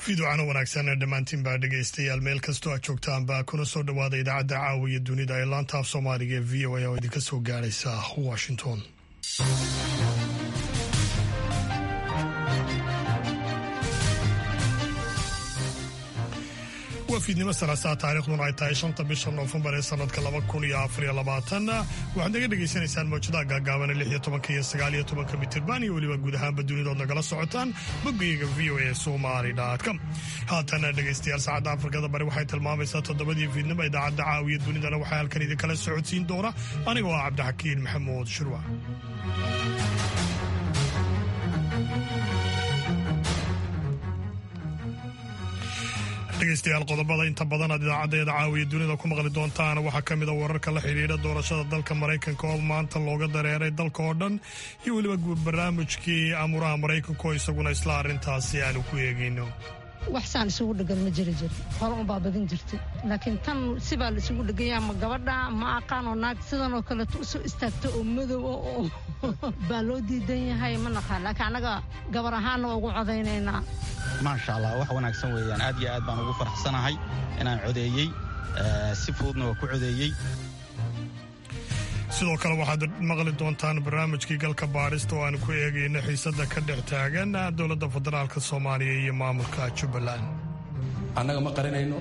Fiiducano wanaagsan dhammaantiinbaa dhegaystayaal, meel kastoo aad joogtaanba kuna soo dhowaada idaacadda caawiya dunida ee laanta af Soomaaliga ee VOA oo idinka soo gaadhaysa Washington. Waa fiidnimo Salaasaa, taarikhduna ay tahay 5-ta bisha Noofembar ee sanadka 2024. Waxaad naga dhegaysanaysaan mawjadaha gaagaaban 16-ka iyo 19-ka mitirban iyo weliba guud ahaanba dunidood nagala socotaan boggayaga voasomali.com. Haatana dhegaystayaal, saacadda Afrikada Bari waxay tilmaamaysaa 7-dii fiidnimo. Idaacadda caawiya dunidana waxaa halkan idinkala socodsiin doona anigoo ah Cabdixakiin Maxamuud Shirwa. Dhegeystayaal, qodobada inta badan aad idaacaddeeda caawiya dunida ku maqli doontaan waxaa ka mid a wararka la xidhiidha doorashada dalka Maraykanka oo maanta looga dareeray dalka oo dhan, iyo weliba barnaamijkii amuraha Maraykanka oo isaguna isla arrintaasi aanu ku eegayno. Wax saan isugu dhegan ma jiri jiri, hore unbaa badin jirtay, laakiin tan sibaa la isugu dheganyaa. Ma gabadha ma aqaan oo naag sidan oo kaleeto usoo istaagto oo madow oo baa loo diidan yahay, ma naqaan, laakiin annaga gabar ahaanna waa ugu codaynaynaa. Maasha Allah, wax wanaagsan weeyaan. Aad iyo aad baan ugu faraxsanahay inaan codeeyey, si fududna waa ku codeeyey. Sidoo kale waxaad maqli doontaan barnaamijkii galka baadhista oo aan ku eegayno xiisadda ka dhex taagan dowladda federaalka Soomaaliya iyo maamulka Jubbaland. Annaga ma qarinayno,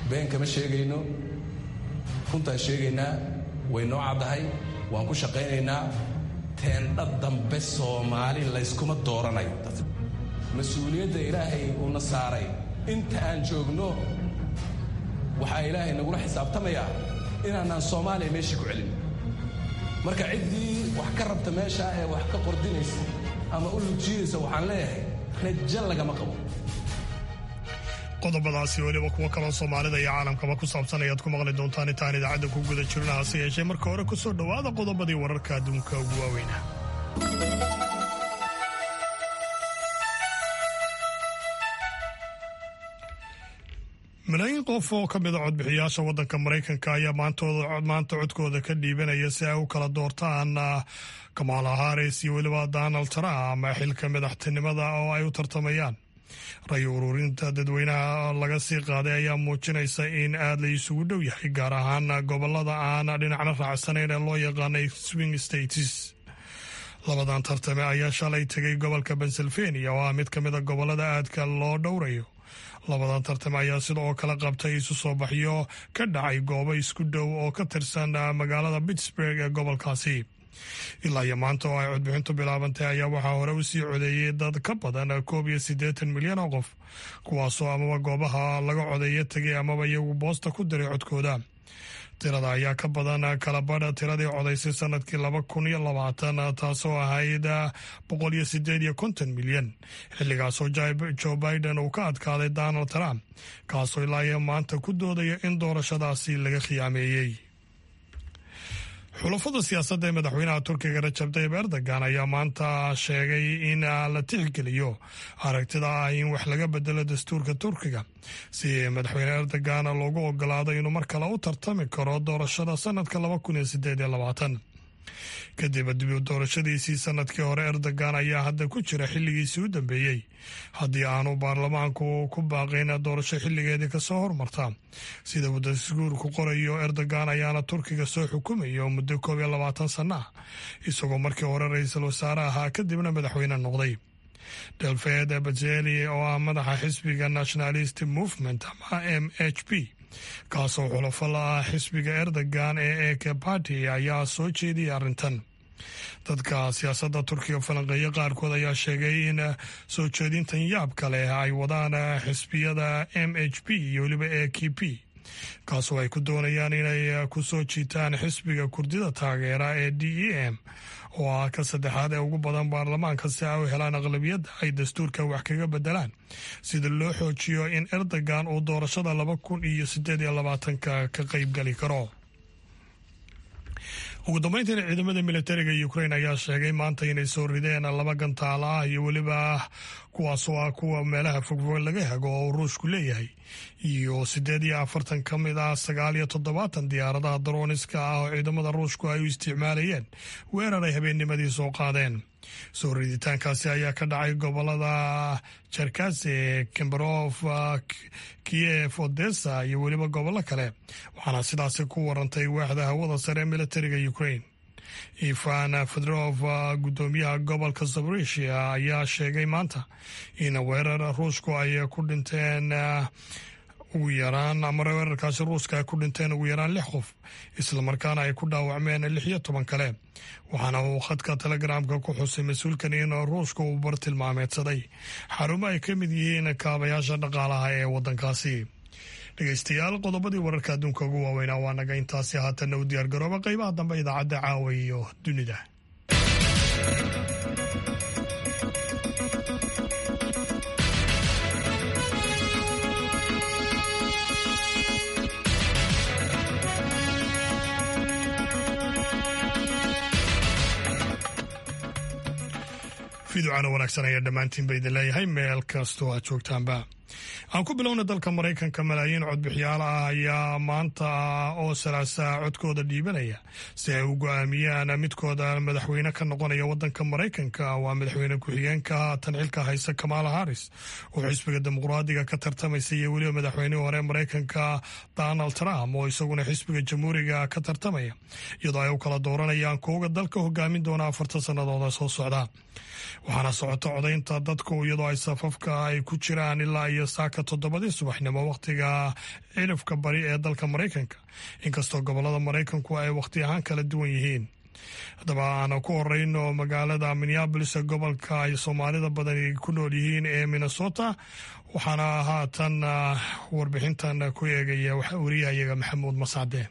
been kama sheegayno, runtaan sheegaynaa. Way noo caddahay, waan ku shaqaynaynaa. Teendha dambe Soomaali layskuma dooranayo. Mas-uuliyadda Ilaahay uuna saaray inta aan joogno, waxaa Ilaahay nagula xisaabtamayaa inaanaan Soomaaliya meeshii ku celin. Marka ciddii wax ka rabta meeshaa ee wax ka qordinaysa ama u lugjiidaysa, waxaan leeyahay rajo lagama qabo. Qodobadaasi weliba kuwo kaloo Soomaalida iyo caalamkaba ku saabsan ayaad ku maqli doontaan intaan idaacadda ku guda jirno. Hase yeeshee marka hore ku soo dhowaada qodobadii wararka adduunka ugu waaweyna. Malaayiin qof oo ka mid a codbixiyaasha waddanka Maraykanka ayaa maanta codkooda ka dhiibanaya si ay u kala doortaan Kamala Harris iyo weliba Donald Trump xilka madaxtinimada oo ay u tartamayaan. Ray ururinta dadweynaha laga sii qaaday ayaa muujinaysa in aad la isugu dhow yahay, gaar ahaan gobolada aan dhinacna raacsanayn ee loo yaqaanay swing states. Labadan tartame ayaa shalay tegay gobolka Pennsylvania oo ah mid ka mid a gobolada aadka loo dhowrayo. Labadan tartame ayaa sidoo kale qabtay isu soo baxyo ka dhacay goobo isku dhow oo ka tirsan magaalada Pittsburgh ee gobolkaasi. Ilaa iyo maanta oo ay codbixintu bilaabantay ayaa waxaa hore u sii codeeyey dad ka badan 81 milyan oo qof, kuwaasoo amaba goobaha laga codeeyo tegay amaba iyagu boosta ku diray codkooda. Tirada ayaa ka badan kala badha tiradii codaysay sanadkii 2020, taasoo ahayd 158 milyan, xilligaasoo Joe Biden uu ka adkaaday Donald Trump, kaasoo ilaa iyo maanta ku doodaya in doorashadaasi laga khiyaameeyey. Xulafada siyaasadda ee madaxweynaha Turkiga Rajab Tayib Erdogan ayaa maanta sheegay in la tixgeliyo aragtida ah in wax laga bedelo dastuurka Turkiga si madaxweyne Erdogan loogu ogolaado inuu mar kale u tartami karo doorashada sanadka 2028. Kadib dib doorashadiisii sanadkii hore, Erdogan ayaa hadda ku jira xilligiisii u dambeeyey haddii aanu baarlamaanku ku baaqayn doorasho xilligeedii kasoo hormarta, sida uu dastuurku qorayo. Erdogan ayaana Turkiga soo xukumayo muddo 21 sano ah, isagoo markii hore ra-iisul wasaare ahaa, kadibna madaxweyne noqday. Devlet Bahçeli oo ah madaxa xisbiga Nationalist Movement ama MHP, kaasoo xulafo la ah xisbiga Erdogan ee AK Party, ayaa soo jeediyay arrintan. Dadka siyaasadda Turkiga falanqeeya qaarkood ayaa sheegay in soo jeedintan yaab kale ay wadaan xisbiyada MHP iyo weliba AKP, kaasoo ay ku doonayaan inay ku soo jiitaan xisbiga Kurdida taageera ee DEM oo ah ka saddexaad ee ugu badan baarlamaanka, si ay u helaan aqlabiyadda ay dastuurka wax kaga bedelaan sida loo xoojiyo in Erdogan uu doorashada 2028-ka ka qaybgeli karo. Ugu dambeyntiina, ciidamada militariga Ukraine ayaa sheegay maanta inay soo rideen laba gantaal ah iyo weliba kuwaasoo ah kuwa meelaha fogfog laga hago oo Ruushku leeyahay, iyo 48 ka mid ah 79 diyaaradaha darooniska ah oo ciidamada Ruushku ay u isticmaalayeen weerar ay habeennimadii soo qaadeen. Soo riditaankaasi ayaa ka dhacay gobolada Cherkase, Kimberov, Kiev, Odessa iyo weliba gobollo kale, waxaana sidaasi ku warantay waaxda hawada sare ee militariga Ukraine. Ivan Fedorov, guddoomiyaha gobolka Zaporizhia, ayaa sheegay maanta in weerar Ruushku ay ku dhinteen ugu yaraan, ama weerarkaasi Ruuska ay ku dhinteen ugu yaraan lix qof, islamarkaana ay ku dhaawacmeen 16 kale. Waxaana uu khadka Telegramka ku xusay mas-uulkan in Ruushka uu bartilmaameedsaday xarumo ay ka mid yihiin kaabayaasha dhaqaalaha ee waddankaasi. Dhegeystayaal, qodobadii wararka adduunka ugu waaweynaa waa naga intaasi. Haatanna u diyaargarooba qeybaha dambe idaacadda Caawa iyo Dunida. Fiducana wanaagsan ayaa dhammaantiin ba idin leeyahay meel kastoo aad joogtaanba. Aan ku bilowna dalka Maraykanka. Malaayiin codbixiyaal ah ayaa maanta oo Salaasaa codkooda dhiibanaya si ay u go-aamiyaan midkooda madaxweyne ka noqonaya wadanka Maraykanka. Waa madaxweyne ku-xigeenka haatan xilka haysa Kamala Harris oo xisbiga Dimuqraadiga ka tartamaysa, iyo weliba madaxweynihii hore Maraykanka Donald Trump oo isaguna xisbiga Jamhuuriga ka tartamaya, iyadoo ay u kala dooranayaan kooga dalka hogaamin doona 4ta sanadooda soo socda. Waxaana socota codaynta dadku, iyadoo ay safafka ay ku jiraan ilaa iyo saaka 7dii subaxnimo wakhtiga cilifka bari ee dalka Maraykanka, inkastoo gobolada Maraykanku ay wakhti ahaan kala duwan yihiin. Haddaba aan ku horeyno magaalada Minneapolis ee gobolka ay Soomaalida badani ku nool yihiin ee Minnesota, waxaana haatan warbixintan ku eegaya wariyahayaga Maxamuud Mascade.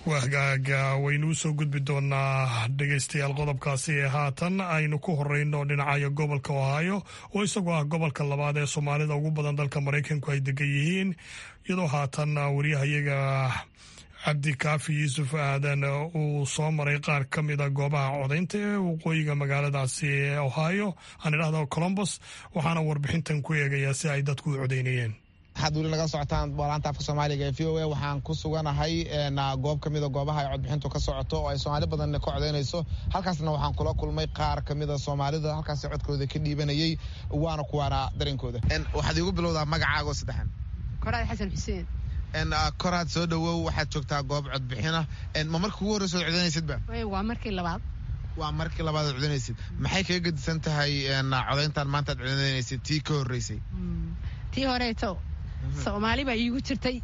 Wahgaaga, waynuu soo gudbi doonaa dhegeystayaal qodobkaasi ee haatan aynu ku horeyno dhinacayo gobolka Ohio, oo isagoo ah gobolka labaad ee Soomaalida ugu badan dalka Maraykanku ay degan yihiin, iyadoo haatan wariyahayaga Cabdikaafi Yuusuf Aadan uu soo maray qaar ka mida goobaha codaynta ee waqooyiga magaaladaasi ee Ohio, aan idhahdo Columbus, waxaana warbixintan ku eegayaa si ay dadku u codaynayeen. Waxaad weli nagala socotaan laanta afka Soomaaliga ee VOA. Waxaan ku suganahay goob ka mida goobaha ay codbixintu ka socoto oo ay Soomaali badan ka codaynayso. Halkaasna waxaan kula kulmay qaar ka mida Soomaalida halkaasi codkooda ka dhiibanayay, waana kuwaana dareenkooda. Waxaad iigu bilowdaa magacaago saddexan. Koraad Xasan Xuseen. Koraad, soo dhawow. Waxaad joogtaa goob codbixina. Ma markii ugu horreysa ood codaynaysidba? Waa markii labaad. Waa markii labaad ood codaynaysid. Maxay kaga gedisan tahay codayntan maanta aad codaynaysid tii ka horreysay? Tii horeeto Soomaali baa iigu jirtay,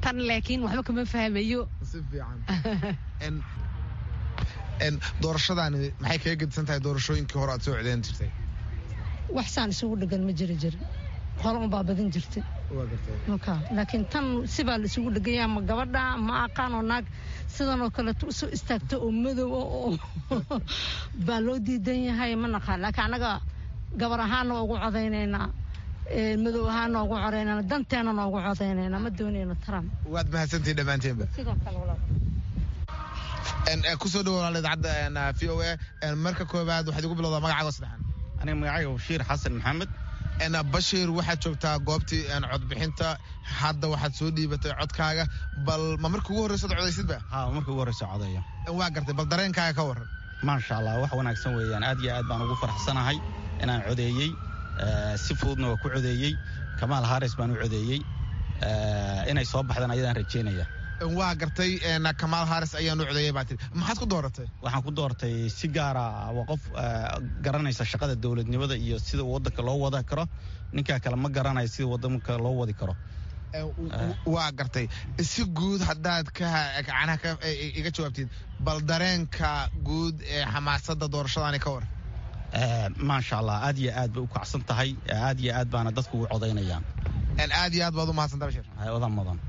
tan laakiin waxba kama fahmayo. Si fiican. Doorashadaani maxay kaga gedisan tahay doorashooyinkii hore aad soo codayn jirtay? Wax saan isugu dhegan ma jiri jirin, hore unbaa badin jirtay, laakiin tan sibaa la isugu dheganya. Ma gabadha ma aqaan oo naag sidan oo kaleeto usoo istaagto oo madow oo baa loo diidan yahay, ma naqaan. Laakiin annaga gabar ahaana waa ugu codaynaynaa, madow ahaan noogu codaynana, danteena noogu codaynayna. Ma doonayno Trump. Waad mahadsantihin dhammaanteenba. Sidoo kale, walaal. Kusoo dhawo walaal idaacadda VOA. Marka koowaad waxaad igu bilowdaa magacaaga saddexan. Aniga magacayga Bashiir Xasan Maxamed. Bashiir, waxaad joogtaa goobtii codbixinta, hadda waxaad soo dhiibatay codkaaga. Bal ma markii ugu horreysa od codaysidba? Ha, markii ugu horreysa codeeyo. Waa gartay. Bal dareenkaaga ka warran. Maasha Allah, wax wanaagsan weeyaan. Aad iyo aad baan ugu faraxsanahay inaan codeeyey, si fududna waa ku codeeyey. Kamaal Haris baan u codeeyey, inay soo baxdaan ayadaan rajeynaya. Waa gartay. Kamaal Haris ayaan u codeeyey baa tiri. Maxaad ku dooratay? Waxaan ku doortay si gaara waa qof garanaysa shaqada dowladnimada iyo sida waddanka loo wada karo. Ninkaa kale ma garanayo sida waddanka loo wadi karo. Waa gartay. Si guud haddaad kacanaha ka iga jawaabtid, bal dareenka guud ee xamaasadda doorashadaani ka war. Maasha Allah, aad iyo aad bay u kacsan tahay, aad iyo aad baana dadku ugu codaynayaan. Aad iyo aad baad u mahadsanta, Bashir. Wadan mudan.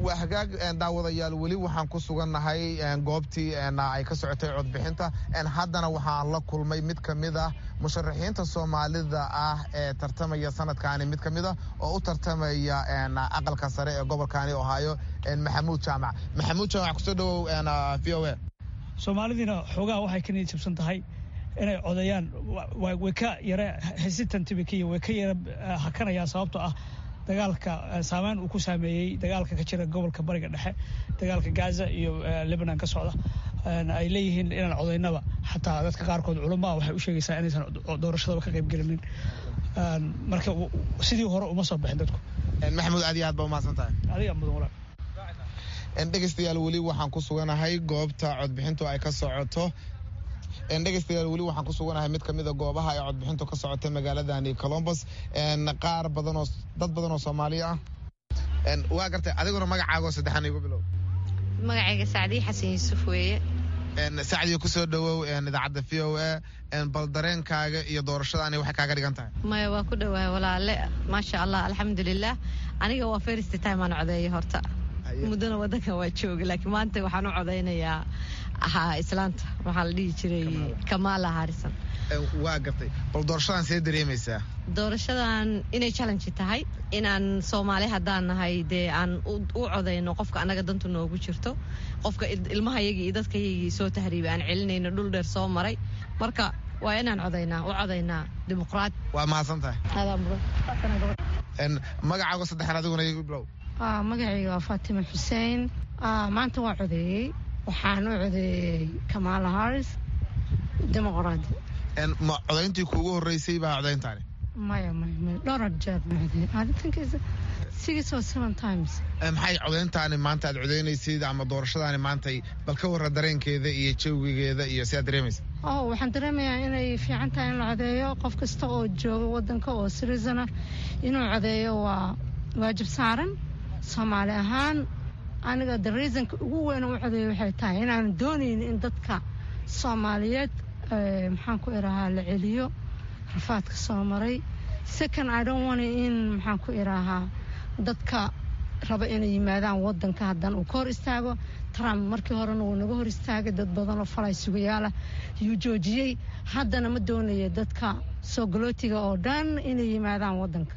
Waa hagaag, daawadayaal, weli waxaan ku sugannahay goobtii ay ka socotay codbixinta. Haddana waxaan la kulmay mid ka mid ah musharaxiinta Soomaalida ah ee tartamaya sanadkaani, mid ka mid ah oo u tartamaya aqalka sare ee gobolkaani Ohio, Maxamuud Jaamac. Maxamuud Jaamac, kusoo dhawow VOA. Soomaalidiina xoogaha waxay ka niyad jabsan tahay inay codeeyaan, way ka yara hesitant bay ka way ka yara hakanayaan, sababtoo ah Dagaalka saameyn uu ku saameeyey dagaalka ka jira gobolka Bariga Dhexe, dagaalka Gaza iyo Lebanon ka socda, ay leeyihiin inaan codaynaba. Xataa dadka qaarkood culamaa waxay u sheegaysaa inaysan doorashadaba ka qaybgelinin. Marka sidii hore uma soo bixin dadku. Maxamuud, aad iyo aad baa umahadsan tahay. Adiga mudan, walaal. Dhegeystayaal, weli waxaan ku suganahay goobta codbixintu ay ka socoto. Dhegeystayaal, weli waxaan ku suganahay mid kamid a goobaha ay codbixintu ka socota magaaladani Columbus. Qaar badan oo dad badan oo Soomaaliya ah waa gartay. Adiguna magacaago saddexan igu bilow. Magacayga Sacdiye Xasan Yuusuf weeye. Sacdiye, kusoo dhawow idaacadda VOA. Bal dareenkaaga iyo doorashadaani waxay kaaga dhigan tahay? Maya, waa ku dhawahay walaale. Maasha Allah, alxamdulilah. Aniga waa first time aan codeeyo. Horta muddana wadankan waa jooga, laakiin maanta waxaan u codeynayaa islaanta waxaa la dhihi jiray Kamala Harrison. Waa gartay. Bal doorashadan see dareemaysaa? Doorashadan inay challenge tahay, inaan Soomaali haddaan nahay dee aan u codayno qofka annaga dantu noogu jirto, qofka ilmahayagii iyo dadkayagii soo tahriibay aan celinayno, dhul dheer soo maray. Marka waa inaan codaynaa, u codaynaa dimuqraad. Waa mahadsan tahay. Magacaago saddexan adiguna igu bilow. Magacayga waa Faatima Xuseen. Maanta waa codeeyey. Waxaan u codeeyey Kamala Harris, dimuqraadi. Ma codayntii kuugu horreysay baa codayntaani? Maya, maya, maya, dhowr jeer baan codeeyey. I think it's six or seven times. Maxay codayntaani maanta aad codaynaysid ama doorashadaani maantay, bal ka warra dareenkeeda iyo jawigeeda iyo si aad dareemaysa? Oh, waxaan dareemayaa inay fiican tahay in la codeeyo. Qof kasta oo jooga wadanka oo citizen ah inuu codeeyo waa waajib saaran. Soomaali ahaan aniga the reasonka ugu weyn u codeeyo waxay tahay inaan doonayn in dadka Soomaaliyeed, maxaan ku irahaa, la celiyo rafaadka soo maray. Second, I don't want in, maxaan ku irahaa, dadka raba inay yimaadaan wadanka haddana uu ka hor istaago Trump. Markii horena wuu naga hor istaagay, dad badan oo falay sugayaala yuu joojiyey. Haddana ma doonaya dadka soo galootiga oo dhan inay yimaadaan wadanka.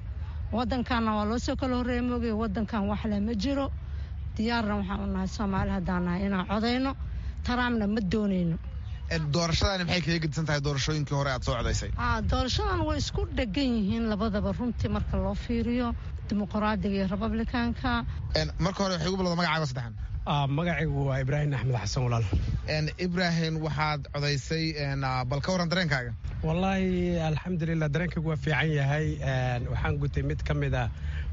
Wadankanna waa loo soo kala horreeya moogay, wadankan waxle ma jiro. Diyaarna waxaan u nahay, Soomaali haddaan nahay, inaan codayno. Trumpna ma doonayno. Doorashadani maxay kaga gedisan tahay doorashooyinkii hore aad soo codaysay? Doorashadan way isku dhegan yihiin labadaba runtii, marka loo fiiriyo dimuqraadiga iyo Republicanka. Marka hore waxay ugu bilowda magacaaga saddexan. Magacaygu waa Ibraahim Axmed Xasan, walaal. Ibraahim, waxaad codaysay, bal ka warran dareenkaaga. Wallaahi alxamdulilah, dareenkaygu waa fiican yahay. Waxaan gutay mid ka mid a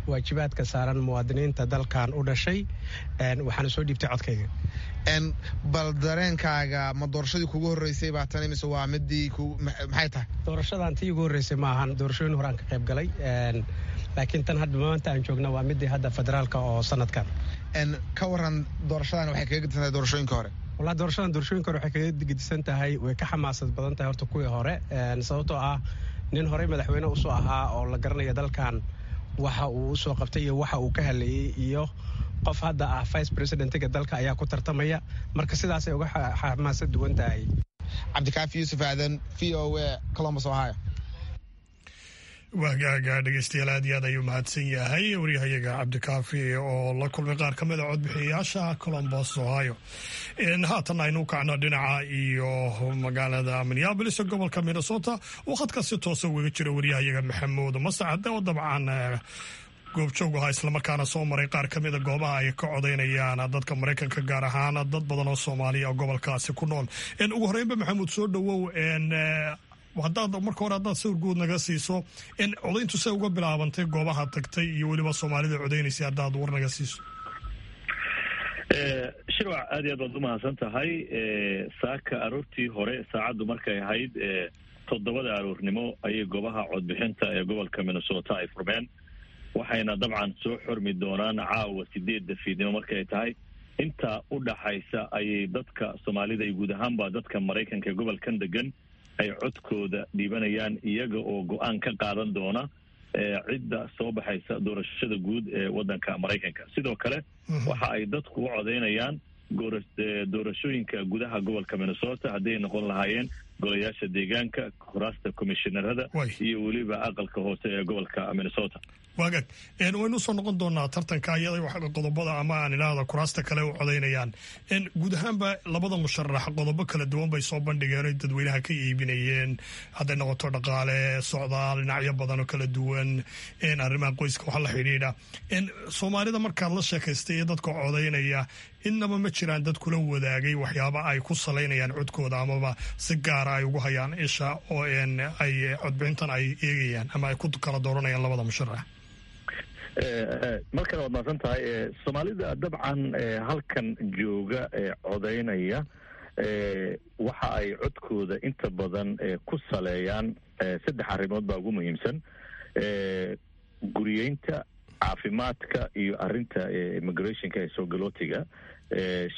waajibaadka saaran muwaadiniinta dalkan u dhashay, waxaana soo dhiibtay codkayga. Bal dareenkaaga, ma doorashadii kugu horreysay baa tani mise waa midii maxay tahay? Doorashadan tii ugu horreysay ma ahan. Doorashooyin horaan ka qayb galay, laakiin tan hadda maanta aan joogna waa midii hadda federaalka oo sanadkan. Ka waran doorashadan, waxay kaga gedisan tahay doorashooyinka hore? Wallahi doorashadan doorashooyinka hore waxay kaga gedisan tahay, way ka xamaasad badan tahay horta kuwii hore, sababtoo ah nin horey madaxweyne usoo ahaa oo la garanaya dalkan waxa uu usoo qabtay iyo waxa uu ka hadlayey iyo qof hadda ah vice presidentiga dalka ayaa ku tartamaya. Marka sidaasay uga xamaasad duwan tahay. Cabdikaafi Yuusuf Aadan, VOA, Columbus, Ohio. Waagaaga dhegeystayaal, aad iyo aad ayuu mahadsan yahay waryahayaga Cabdikaafi oo la kulmay qaar ka mid a codbixiyayaasha Columbus, Ohio. Haatan aynu u kacno dhinaca iyo magaalada Minneapolis, gobolka Minnesota, oo khadka si toosa ugaga jiro waryahayaga Maxamuud Mascade, oo dabcan goobjoog ahaa islamarkaana soo maray qaar ka mida goobaha ay ka codaynayaan dadka Maraykanka, gaar ahaan dad badan oo Soomaaliya oo gobolkaasi ku nool. Ugu horreynba, Maxamuud, soo dhowow. Hadaad marka hore haddaad sawir guud naga siiso codayntu say uga bilaabantay goobaha tagtay iyo weliba Soomaalida codaynaysay, haddaad war naga siiso. Shirwac, aad iyo aad baad umahadsan tahay. Saaka aroortii hore, saacaddu markay ahayd 7da aroornimo, ayay goobaha codbixinta ee gobolka Minnesota ay furmeen, waxayna dabcan soo xormi doonaan caawa 8da fiidnimo markay tahay. Inta u dhaxaysa ayay dadka Soomaalida iyo guud ahaanba dadka Maraykanka ee gobolkan degan ay codkooda dhiibanayaan, iyaga oo go-aan ka qaadan doona cidda soo baxaysa doorashada guud ee waddanka Maraykanka. Sidoo kale waxa ay dadku u codaynayaan doorashooyinka gudaha gobolka Minnesota, hadday noqon lahaayeen Golayaasha deegaanka, kuraasta komishinarada iyo weliba aqalka hoose ee gobolka Minnesota. Waagaag, waynu usoo noqon doonaa tartanka iyada qodobada ama aan idhaahda kuraasta kale u codaynayaan. Guud ahaanba labada musharax qodobo kala duwan bay soo bandhigeen oy dadweynaha ka iibinayeen, hadday noqoto dhaqaale, socdaal, dhinacyo badan oo kala duwan, arrimaha qoyska waxa la xidhiidha. Soomaalida markaad la sheekaystay iyo dadka codaynaya, innaba ma jiraan dad kula wadaagay waxyaaba ay ku salaynayaan codkooda amaba si gaara ay ugu hayaan isha oo ay codbixintan ay eegayaan ama ay ku kala dooranayaan labada musharax? Mar kale waad mahadsan tahay. Soomaalida dabcan halkan jooga ee codaynaya waxa ay codkooda inta badan ku saleeyaan saddex arrimood baa ugu muhiimsan: guriyeynta, caafimaadka iyo arrinta immigrationka ee soo galootiga,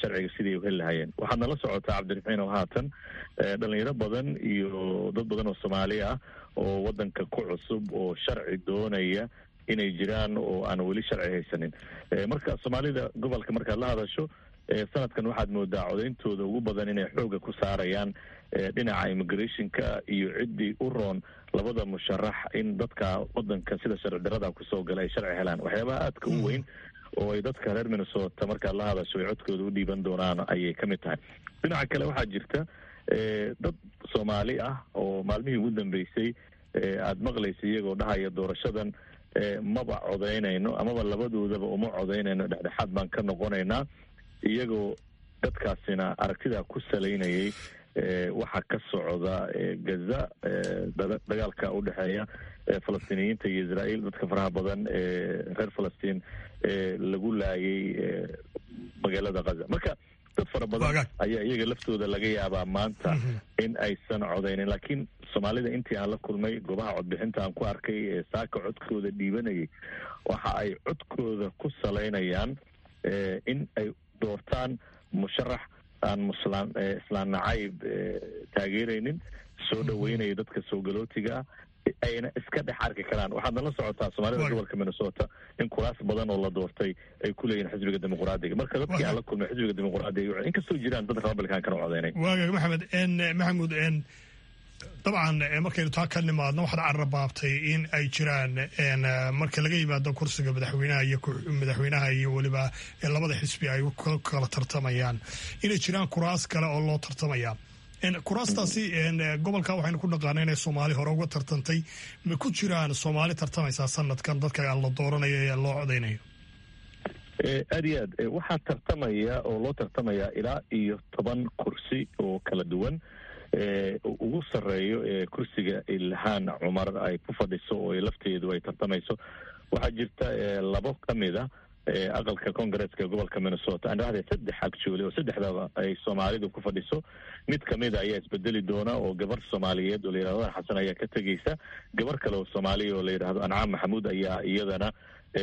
sharciga sidii u heli lahayeen. Waxaad nala socotaa, Cabdiraxiin, oo haatan dhalinyaro badan iyo dad badan oo Soomaali ah oo wadanka ku cusub oo sharci doonaya inay jiraan oo aan weli sharci haysanin. Marka Soomaalida gobolka markaad la hadasho, sanadkan waxaad moodaa codeyntooda ugu badan inay xooga ku saarayaan dhinaca immigrationka iyo ciddii u roon labada musharax in dadka wadanka sida sharci darada kusoo gala ay sharci helaan. Waxyaabaha aadka u weyn oo ay dadka reer Minnesota markaad la hadasho ay codkooda u dhiiban doonaan ayay ka mid tahay. Dhinaca kale waxaa jirta dad Soomaali ah oo maalmihii ugu dambeysay aada maqlaysa iyagoo dhahaya doorashadan maba codaynayno amaba labadoodaba uma codaynayno, dhexdhexaad baan ka noqonaynaa, iyagoo dadkaasina aragtidaa ku salaynayay waxa ka socda Gaza, dagaalka u dhexeeya Falastiiniyiinta iyo Israa'iil, dadka faraha badan ee reer Falastiin ee lagu laayay magaalada Gaza. Marka dad fara badan ayaa iyaga laftooda laga yaabaa maanta in aysan codaynin, laakiin Soomaalida intii aan la kulmay, goobaha codbixinta aan ku arkay ee saaka codkooda dhiibanayay, waxa ay codkooda ku salaynayaan in ay doortaan musharax aan muslaan islaan nacayb taageeraynin, soo dhaweynaya dadka soo galootiga ah, ayna iska dhex arki karaan. Waxaad nala socotaa Soomaalida gobolka Minnesota in kuraas badan oo la doortay ay ku leeyihin xisbiga Dimuqraadiga. Marka dadkii aan la kulmay xisbiga Dimuqraadiga, inkastoo jiraan dad Republicankan u codeynay. Waagaag, Maxamed Maxamuud, dabcan markaynu taa ka nimaadno, waxaad carrabaabtay in ay jiraan, marka laga yimaado kursiga madaxweynaha iyo madaxweynaha iyo weliba labada xisbi ay kala tartamayaan, inay jiraan kuraas kale oo loo tartamaya. Kuraastaasi gobolka waxaynu ku dhaqaana inay Soomaali hore uga tartantay. Ma ku jiraan Soomaali tartamaysaa sanadkan dadka la dooranayo ee loo codeynayo? Aad iyo aad, waxaa tartamaya oo loo tartamaya ilaa iyo 10 kursi oo kala duwan, ugu sarreeyo ee kursiga Ilhaan Cumar ay ku fadhiso oo lafteedu ay tartamayso. Waxaa jirta labo ka mid a aqalka Congaresska ee gobolka Minnesota, aan dhahday saddex actually, oo saddexdaba ay Soomaalidu ku fadhiso. Mid kamida ayaa isbedeli doona oo gabar Soomaaliyeed oo la yidhahdo Xasan ayaa ka tegeysa, gabar kale oo Soomaaliya oo la yidhahdo Ancaam Maxamuud ayaa iyadana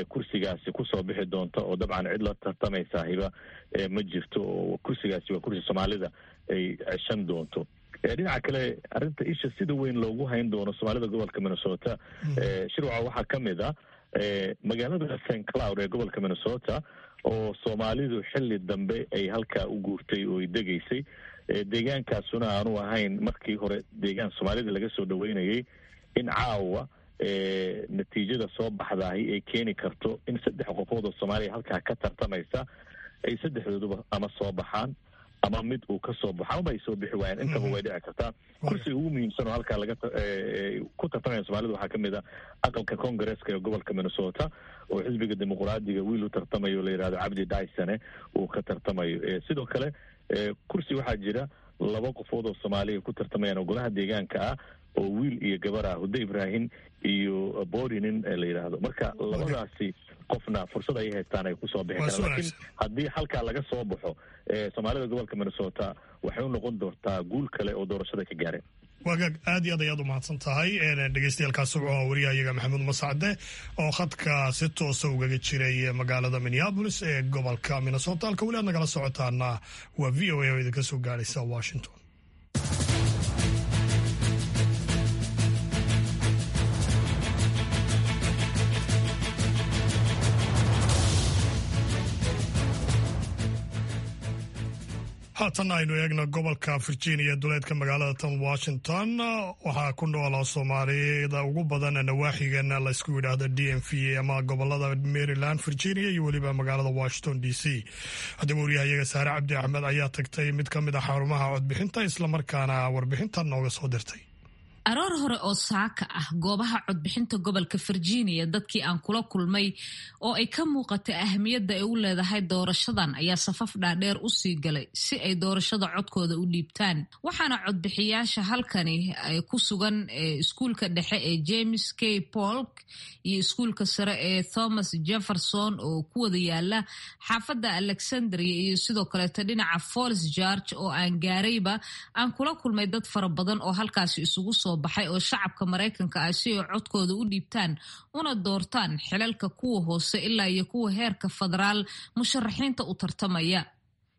kursigaasi kusoo bixi doonta, oo dabcan cid la tartamaysa hiba ma jirto, oo kursigaasi waa kursi Soomaalida ay ceshan doonto. Dhinaca kale, arrinta isha sida weyn loogu hayn doono Soomaalida gobolka Minnesota, Shirwaca, waxaa ka mid ah magaalada St Cloud ee gobolka Minnesota oo Soomaalidu xilli dambe ay halkaa u guurtay oo ay degaysay, deegaankaasuna aanu ahayn markii hore deegaan Soomaalida laga soo dhaweynayay, in caawa natiijada soo baxdaahi ay keeni karto in saddex qofood oo Soomaaliya halkaa ka tartamaysa ay saddexdooduba ama soo baxaan ama mid uu ka soo baxo amaba ay soo bixi waayaan. Intaba way dhici kartaa. Kursiga ugu muhiimsan oo halkaa laga ku tartamaya Soomaalida waxaa ka mid a aqalka Congaresska ee gobolka Minnesota oo xisbiga Dimuqraadiga wiil u tartamayo la yidhahdo Cabdi Dysone uu ka tartamayo. Sidoo kale kursi waxaa jira laba qofood oo Soomaaliya ku tartamayaan oo golaha deegaanka ah oo wiil iyo gabar ah, Hude Ibrahim iyo Borinin la yidhaahdo. Marka labadaasi qofna fursad ayay haystaan ay kusoo bixi karaan, laakiin haddii halkaa laga soo baxo, Soomaalida gobolka Minnesota waxay u noqon doontaa guul kale oo doorashada ka gaareen. Waagaag, aad iyo aad ayaad u mahadsan tahay. Dhegeystayaaalkaasi wuxuu ahaa wariyahayaga Maxamuud Mascade oo khadka si toosa ugaga jiray magaalada Minneapolis ee gobolka Minnesota. Halka weli aad nagala socotaana waa VOA oo idinka soo gaaraysa Washington. Haatanna aynu eegno gobolka Virginia, duleedka magaalada tan Washington. Waxaa ku noola Soomaalida ugu badan nawaaxigan laysku yidhaahdo DMV ama gobolada Maryland, Virginia iyo weliba magaalada Washington DC. Haddaba waryahayaga Saare Cabdi Axmed ayaa tagtay mid ka mid ah xarumaha codbixinta, islamarkaana warbixintan nooga soo dirtay. Aroor hore oo saaka ah, goobaha codbixinta gobolka Virginia dadkii aan kula kulmay oo ay ka muuqatay ahmiyadda ay u leedahay doorashadan ayaa safaf dhaadheer u sii galay si ay doorashada codkooda u dhiibtaan. Waxaana codbixiyaasha halkani ay ku sugan iskuulka dhexe ee James K Polk iyo iskuulka sare ee Thomas Jefferson oo ku wada yaala xaafadda Alexandria iyo sidoo kaleeto dhinaca Falls Church oo aan gaarayba aan kula kulmay dad fara badan oo halkaasi isugu soo baxay oo shacabka Maraykanka ah si ay codkooda u dhiibtaan una doortaan xilalka kuwa hoose ilaa iyo kuwa heerka federaal musharaxiinta u tartamaya.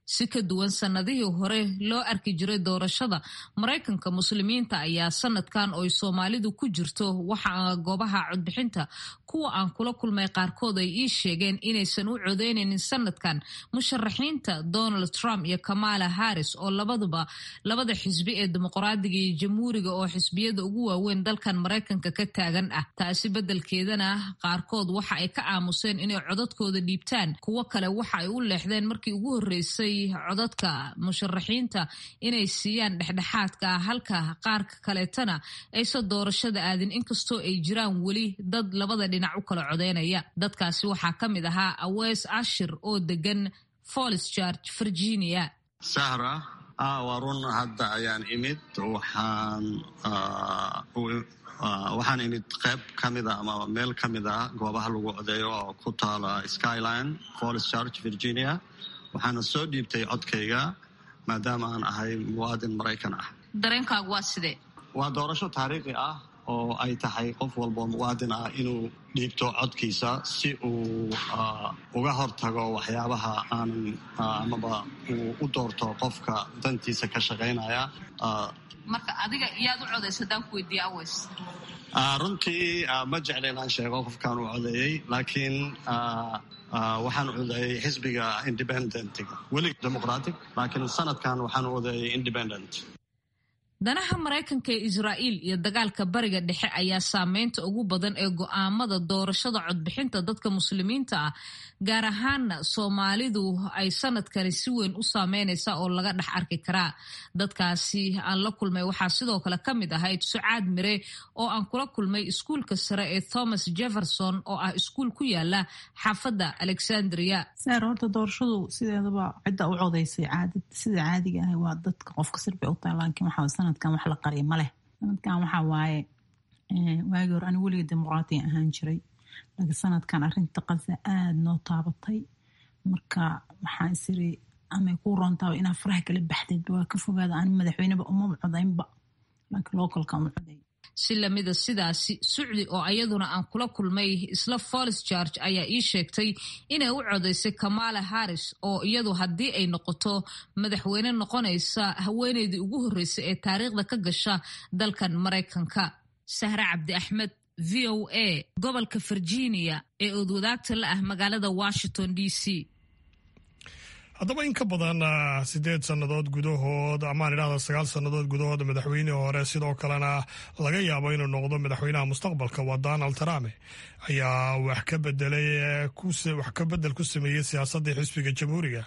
Si ka duwan sanadihii hore loo arki jiray doorashada Maraykanka, muslimiinta ayaa sanadkan oo Soomaalidu ku jirto waxa goobaha codbixinta kuwa aan kula kulmay qaarkood ay ii sheegeen inaysan u codeynaynin sanadkan musharaxiinta Donald Trump iyo Kamala Harris oo labaduba labada xisbi ee Dimuqraadiga iyo Jamhuuriga oo xisbiyada ugu waaweyn dalkan Maraykanka ka taagan ah. Taasi beddelkeedana qaarkood waxa ay ka aamuseen inay codadkooda dhiibtaan. Kuwo kale waxa ay u leexdeen markii ugu horreysay codadka musharaxiinta inay siiyaan dhexdhexaadka ah, halka qaarka kaleetana aysan doorashada aadin, inkastoo ay jiraan weli dad labada dhinac u kala codeynaya. Dadkaasi waxaa ka mid ahaa Awees Ashir oo degan Falls Church, Virginia. Sahra, waa run, hadda ayaan imid. Waxaan imid qayb ka mida ama meel ka mid ah goobaha lagu codeeyo oo ku taala Skyline, Falls Church, Virginia. Waxaana soo dhiibtay codkayga maadaama aan ahay muwaadin Maraykan ah. Dareenkaagu waa sidee? Waa doorasho taariikhi ah oo ay tahay qof walboo muwaadin ah inuu dhiibto codkiisa si uu uga hortago waxyaabaha aanan amaba uu u doorto qofka dantiisa ka shaqaynaya. Marka adiga yaad u codaysa haddaan ku weydiiye, Aweys? Runtii ma jecla inaan sheego qofkaan u codeeyey, laakiin waxaan codeeyey xisbiga independentiga, weli Democratic, laakiin sanadkan waxaan codeeyey independent. Danaha Maraykanka ee Israa'iil iyo dagaalka Bariga Dhexe ayaa saameynta ugu badan ee go'aamada doorashada codbixinta dadka muslimiinta ah, gaar ahaana Soomaalidu, ay sanadkani si weyn u saameynaysa oo laga dhex arki karaa. Dadkaasi aan la kulmay waxaa sidoo kale ka mid ahayd Sucaad Mire oo aan kula kulmay iskuulka sare ee Thomas Jefferson oo ah iskuul ku yaala xaafadda Alexandria. Saar, horta doorashadu sideedaba cidda u codaysay caadad sida caadiga ah waa dadka qofka sirbay u tahay, laakiin waxaa sanadkan wax la qariya ma leh. Sanadkan waxaa waaye, waagii hore anigu weliga Dimuqraatiga ahaan jiray, laakiin sanadkan arrinta Qaza aada noo taabatay. Marka waxaan isiri amay kuu roontaaba inaa faraha kala baxdeedba waa ka fogaada. Ani madaxweyneba umaba codaynba, laakiin localka u coday. Si lamida sidaasi, Sucdi oo ayaduna aan kula kulmay isla Falls Church ayaa ii sheegtay inay u codaysay Kamala Harris oo iyadu haddii ay noqoto madaxweyne noqonaysa haweeneydii ugu horreysay ee taariikhda ka gasha dalkan Maraykanka. Sahre Cabdi Axmed, VOA, gobolka Virginia ee oodwadaagta la ah magaalada Washington DC. Haddaba in ka badan 8 sannadood gudahood, amaan idhahda 9 sannadood gudahood, madaxweynihii hore, sidoo kalena laga yaabo inuu noqdo madaxweynaha mustaqbalka, waa Donald Trump, ayaa wax ka bedelay, wax ka bedel ku sameeyey siyaasaddii xisbiga Jamhuuriga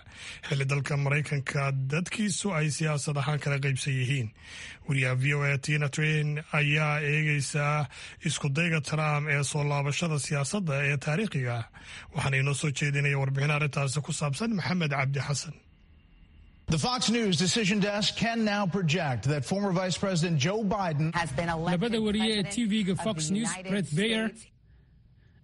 xilli dalka Maraykanka dadkiisu ay siyaasad ahaan kala qaybsan yihiin. Wariyaha VOA Tina Twain ayaa eegeysaa iskudayga Trump ee soo laabashada siyaasadda ee taariikhiga ah, waxaana inoo soo jeedinaya warbixin arrintaasi ku saabsan Maxamed Cabdi Xasan. The Fox News decision desk can now project that former Vice President Joe Biden has been elected. Labada wariye ee TV-ga Fox News, Bret Baier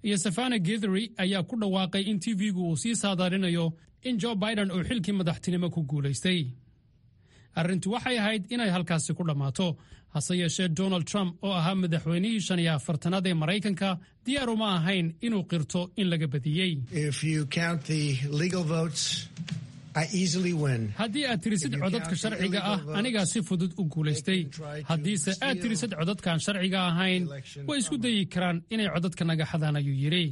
iyo Savannah Guthrie, ayaa ku dhawaaqay in TV-gu uu sii saadaalinayo in Joe Biden uu xilkii madaxtinimo ku guulaystay. Arrintu waxay ahayd inay halkaasi ku dhammaato. Hase yeeshee, Donald Trump oo ahaa madaxweynihii 45aad ee Maraykanka diyaar uma ahayn inuu qirto in laga badiyey. Haddii aad tirisid codadka sharciga ah, anigaa si fudud u guulaystay. Haddiise aad tirisid codadkaan sharciga ahayn, way isku dayi karaan inay codadka naga xadaan, ayuu yidhi.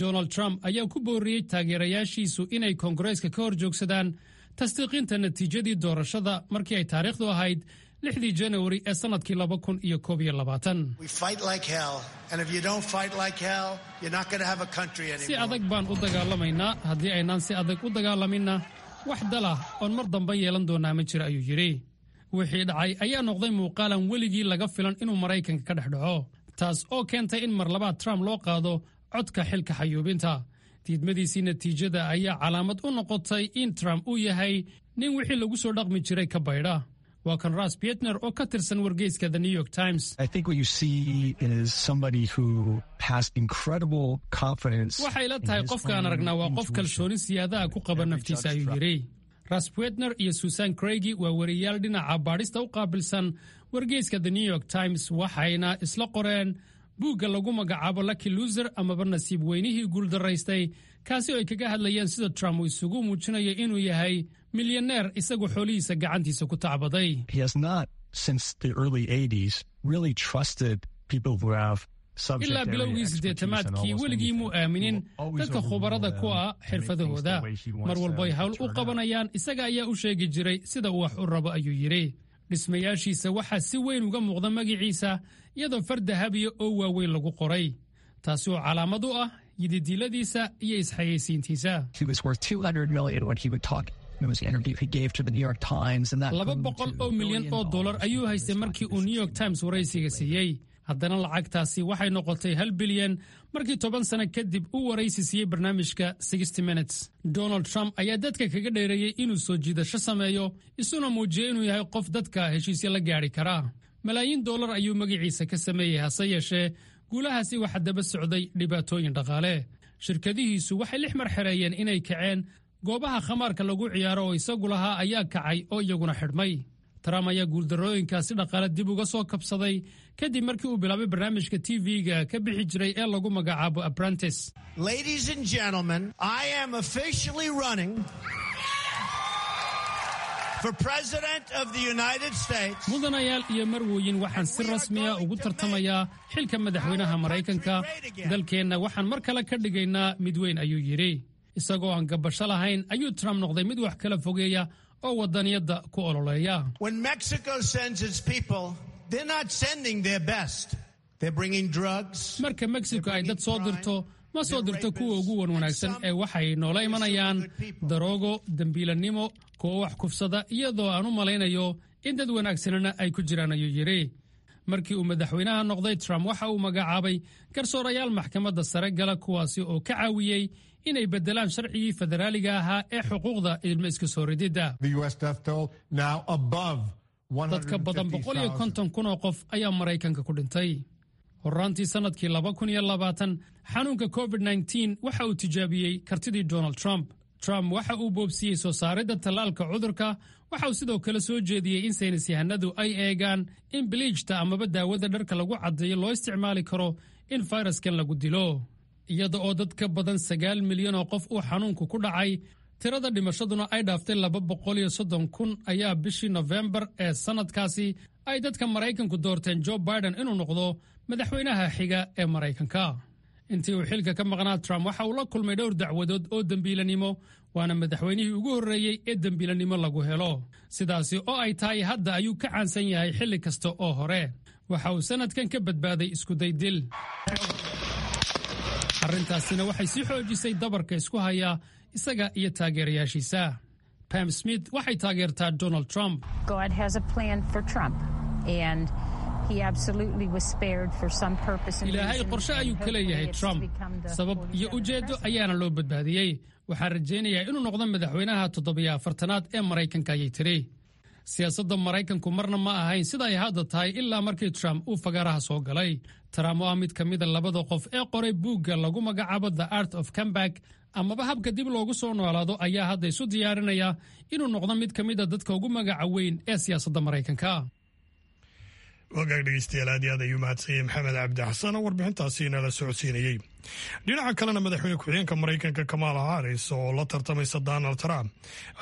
Donald Trump ayaa ku booriyey taageerayaashiisu inay Koongareeska ka hor joogsadaan. Tasdiiqinta natiijadii doorashada markii ay taariikhdu ahayd 6dii Janawari ee sannadkii 2021. Si adag baan u dagaalamaynaa. Haddii aynaan si adag u dagaalaminna, wax dalah oon mar dambe yeelan doonaa ma jira, ayuu yidhi. Wixii dhacay ayaa noqday muuqaalan weligii laga filan inuu Maraykanka ka dhex dhaco, taas oo keentay in mar labaad Trump loo qaado codka xilka xayuubinta. Diidmadiisii natiijada ayaa calaamad u noqotay in Trump uu yahay nin wixii lagu soo dhaqmi jiray ka baydha. Waa kan Ras Bietner oo ka tirsan wargeyska The New York Times. Waxay la tahay qofka aan aragnaa waa qof kalsooni siyaadaha ku qaba naftiisa, ayuu yidhi. Ras Wetner iyo Susan Craigy waa wariyaal dhinaca baadhista u qaabilsan wargeyska The New York Times, waxayna isla qoreen buugga lagu magacaabo Lucky Loser amaba nasiib weynihii guuldaraystay, kaasi oo ay kaga hadlayeen sida Trump uu isugu muujinayo inuu yahay milyaneer isagu xoolihiisa gacantiisa ku tacbaday. Ilaa bilowgii siddeetamaadkii weligii muu aaminin dadka khubarada ku ah xirfadahooda. Mar walbay hawl u qabanayaan, isaga ayaa u sheegi jiray sida uu wax u rabo, ayuu yidhi. Dhismayaashiisa waxaa si weyn uga muuqda magaciisa, iyadoo far dahabiya oo waaweyn lagu qoray, taasi oo calaamad u ah yididiiladiisa iyo isxayeysiintiisa. $200 milyan ayuu haystay markii uu New York Times waraysiga siiyey. Haddana lacagtaasi waxay noqotay 1 bilyan markii 10 sano kadib uu waraysi siiyey barnaamijka Minutes. Donald Trump ayaa dadka kaga dheereeyey inuu soo jiidasho sameeyo, isuna muujiyey inuu yahay qof dadka heshiisya la gaadhi karaa. Malaayiin dollar ayuu magaciisa ka sameeyey, hase yeeshee guulahaasi waxaa daba socday dhibaatooyin dhaqaale. Shirkadihiisu waxay lix mar xereeyeen inay kaceen. Goobaha khamaarka lagu ciyaaro oo isagu lahaa ayaa kacay oo iyaguna xidhmay. Trump ayaa guuldarrooyinkaasi dhaqaale dib uga soo kabsaday kadib markii uu bilaabay barnaamijka TV-ga ka bixi jiray ee lagu magacaabo Apprentice. Ladies and gentlemen, I am officially running for President of the United States. Mudanayaal iyo marwooyin, waxaan si rasmiya ugu tartamayaa xilka madaxweynaha Maraykanka. Dalkeenna waxaan mar kale ka dhigaynaa mid weyn, ayuu yidhi. Isagoo aan gabasho lahayn ayuu Trump noqday mid wax kala fogeeya oo wadaniyadda ku ololeeya. When Mexico sends its people, they're not sending their best. They're bringing drugs. Marka Mexico ay dad soo dirto, ma soo dirto kuwa ugu wan wanaagsan ee waxay noola imanayaan daroogo, dembiilannimo, kuwo wax kufsada, iyadoo aan u malaynayo in dad wanaagsanina ay ku jiraan, ayuu yidhi. Markii uu madaxweynaha noqday, Trump waxa uu magacaabay garsoorayaal maxkamadda sare gala, kuwaasi oo ka caawiyey inay beddelaan sharcigii federaaliga ahaa ee xuquuqda ilmo iska soo rididda. Dadka badan 150,000 oo qof ayaa Maraykanka ku dhintay. Horraantii sannadkii 2020 xanuunka COVID-19 waxa uu tijaabiyey kartidii Donald Trump. Trump waxa uu boobsiiyey soo saaridda tallaalka cudurka. Waxa uu sidoo kale soo jeediyey in saynis yahanadu ay eegaan in biliijta amaba daawada dharka lagu caddeeyo loo isticmaali karo in fayraskan lagu dilo. Iyada oo dad ka badan 9 milyan oo qof uu xanuunku ku dhacay, tirada dhimashaduna ay dhaaftay 230,000, ayaa bishii Nofembar ee sannadkaasi ay dadka Maraykanku doorteen Joe Biden inuu noqdo madaxweynaha xiga ee Maraykanka. Intii uu xilka ka maqnaa, Trump waxa uu la kulmay dhowr dacwadood oo dembiilanimo, waana madaxweynihii ugu horreeyey ee dembiilanimo lagu helo. Sidaasi oo ay tahay, hadda ayuu ka caansan yahay xilli kasta oo hore. Waxa uu sannadkan ka badbaaday iskuday dil. Arrintaasina waxay sii xoojisay dabarka isku haya isaga iyo taageerayaashiisa. Pam Smith waxay taageertaa Donald Trump. God has a plan for Trump, and he absolutely was spared for some purpose and Ilaahay reason, qorshe and ayuu ka leeyahay hopefully it's to Trump. become the Sabab iyo ujeeddo ayaana loo badbaadiyey. Waxaan rajaynayaa inuu noqdo madaxweynaha 47aad ee Maraykanka, ayay tiri. Siyaasadda Maraykanku marna ma ahayn sida ay hadda tahay ilaa markii Trump uu fagaaraha soo galay. Trump oo ah mid ka mida labada qof ee qoray buugga lagu magacaabo The Art of Comeback amaba habka dib loogu soo noolaado, ayaa hadda isu diyaarinaya inuu noqdo mid ka mida dadka ugu magaca weyn ee siyaasadda Maraykanka. Wagaag dhegeystayaal, aad iyo aad ayuu mahadsanyay Maxamed Cabdi Xasan oo warbixintaasi inala socodsiinayey. Dhinaca kalena, madaxweyne ku-xigeenka Maraykanka Kamala Harris oo la tartamaysa Donald Trump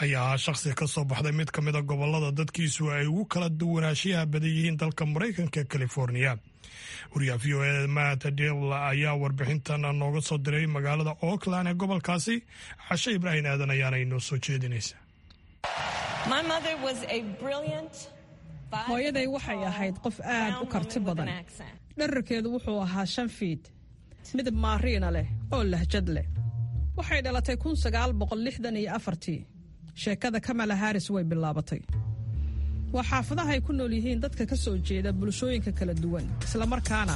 ayaa ahaa shakhsi ka soo baxday mid ka mid a gobolada dadkiisu ay ugu kala duwanaanshiyaha badan yihiin dalka Maraykanka, California. Wariyaha VOA Matt Dibble ayaa warbixintan nooga soo diray magaalada Oakland ee gobolkaasi. Cashe Ibraahim Aadan ayaana inoo soo jeedinaysa. Hooyaday waxay ahayd qof aad u karti badan. Dherarkeedu wuxuu ahaa 5 fiid, midab maariina leh oo lahjad leh. Waxay dhalatay 1964-tii. Sheekada Kamala Harris way bilaabatay. Waa xaafadaha ay ku nool yihiin dadka ka soo jeeda bulshooyinka kala duwan, islamarkaana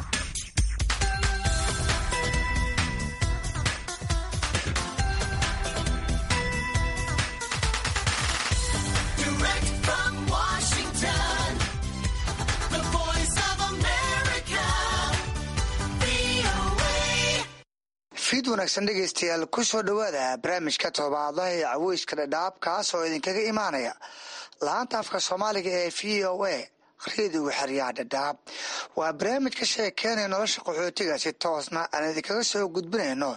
Direct from Washington, the voice of America, VOA. Fiid wanaagsan dhegaystayaal, ku soo dhowaada barnaamijka todobaadlaha ee caweyska Dhadhaab, kaas oo idinkaga imaanaya laanta afka Soomaaliga ee VOA, reediga xeryaha Dhadhaab. Waa barnaamij ka sheekeynaya nolosha qaxootiga, si toosna aan idinkaga soo gudbinayno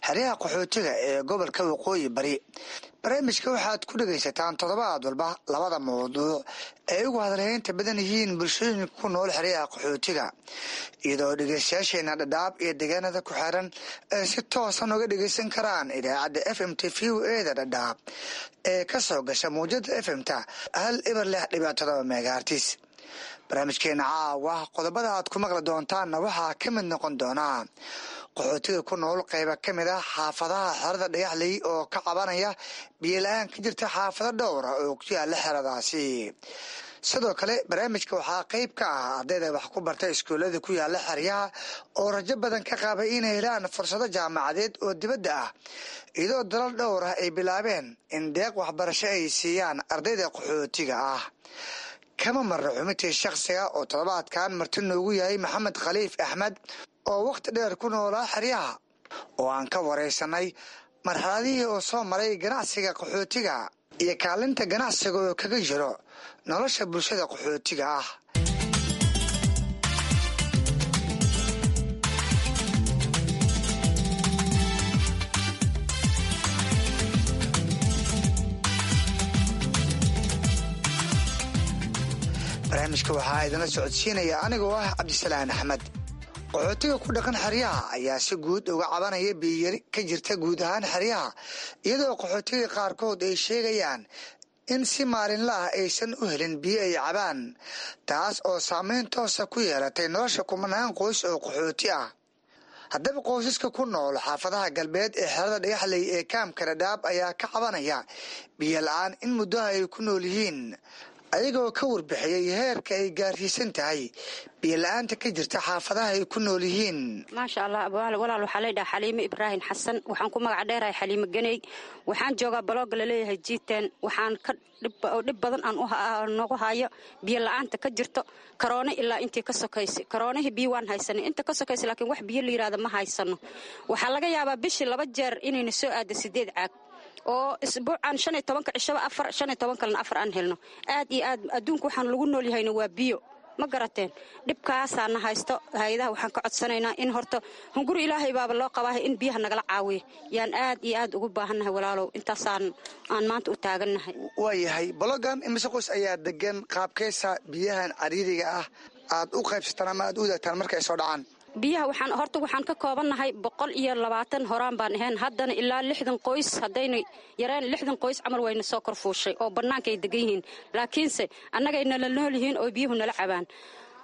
xeryaha qaxootiga ee gobolka Waqooyi Bari. Barnaamijka waxaad ku dhegaysataan toddobaad walba labada mawduuc ay ugu hadalhaynta badan yihiin bulshooyinka ku nool xeryaha qaxootiga, iyadoo dhegaystayaasheena Dhadhaab iyo deegaanada ku xeeran ay si toosan uga dhegaysan karaan idaacadda FM t VOA da Dhadhaab ee ka soo gasha mawjada FM ta 106.7 megahertz. Barnaamijkeena caawa qodobada aad ku maqli doontaanna waxaa ka mid noqon doonaa qaxootiga ku nool qayba ka mid ah xaafadaha xerada Dhagaxley oo ka cabanaya biyola-aan ka jirta xaafado dhowra oo ku yaala xeradaasi. Sidoo kale barnaamijka waxaa qayb ka ah ardayda wax ku barta iskuullada ku yaala xeryaha oo rajo badan ka qabay inay helaan fursado jaamacadeed oo dibadda ah, iyadoo dalal dhowr ah ay bilaabeen in deeq waxbarasho ay siiyaan ardayda qaxootiga ah. Kama marna xubintii shakhsiga oo toddobaadkan marti noogu yahay Maxamed Khaliif Axmed oo wakhti dheer ku noolaa xeryaha, oo aan ka waraysanay marxaladihii oo soo maray ganacsiga qaxootiga iyo kaalinta ganacsiga oo kaga jiro nolosha bulshada qaxootiga ah. Barnaamijka waxaa idinla socodsiinaya anigoo ah Cabdisalaan Axmed. Qaxootiga ku dhaqan xeryaha ayaa si guud uga cabanaya biyiyari ka jirta guud ahaan xeryaha, iyadoo qaxootiga qaarkood ay sheegayaan in si maalinla ah aysan u helin biyo ay cabaan, taas oo saameyn toosa ku yeelatay nolosha kumanaan qoys oo qaxooti ah. Haddaba qoysaska ku nool xaafadaha galbeed ee xerada Dhagaxley ee kaamka Dhadhaab ayaa ka cabanaya biyo la-aan in muddaha ay ku nool yihiin, ayagoo ka warbixiyey heerka ay gaarsiisan tahay biyo la-aanta ka jirta xaafadaha ay ku nool yihiin. Maasha Allah, walaal, waxaa laydhaha Xaliime Ibraahim Xasan. Waxaan ku magac dheerahay Xaliime Ganey. Waxaan joogaa balooga laleeyahay Jiiteen. Waxaan ka dhib badan aan noogu hayo biyo la-aanta ka jirto karoone ilaa intii ka sokaysay. Karoonihii biyo waan haysanay inta ka sokaysay, laakiin wax biyo la yidhahda ma haysano. Waxaa laga yaabaa bishii 2 jeer inayna soo aado 8 caag, oo isbuucan 15-ka cishaba 4, 15 kalena 4 aan helno. Aad iyo aad adduunka waxaan lagu nool yahayna waa biyo, ma garateen? Dhibkaasaana haysto. Hay-adaha waxaan ka codsanaynaa in horta hunguri Ilaahay baaba loo qabaahay in biyaha nagala caawiyo. Yaan aad iyo aad ugu baahannahay walaalow, intaasaan aan maanta u taagannahay. Waayahay, bologan imise qoys ayaa degan? Qaabkeysa biyahan cariiriga ah aad u qaybsataan ama aad u wadaagtaan marka ay soo dhacaan? Biyaha waxaan horta waxaan ka koobannahay 120 horaan baan ahayn, haddana ilaa 60 qoys, haddayna yareen 60 qoys camal wayna soo korfuushay oo bannaanka ay degan yihiin, laakiinse annagay nala nool yihiin oo biyuhu nala cabaan.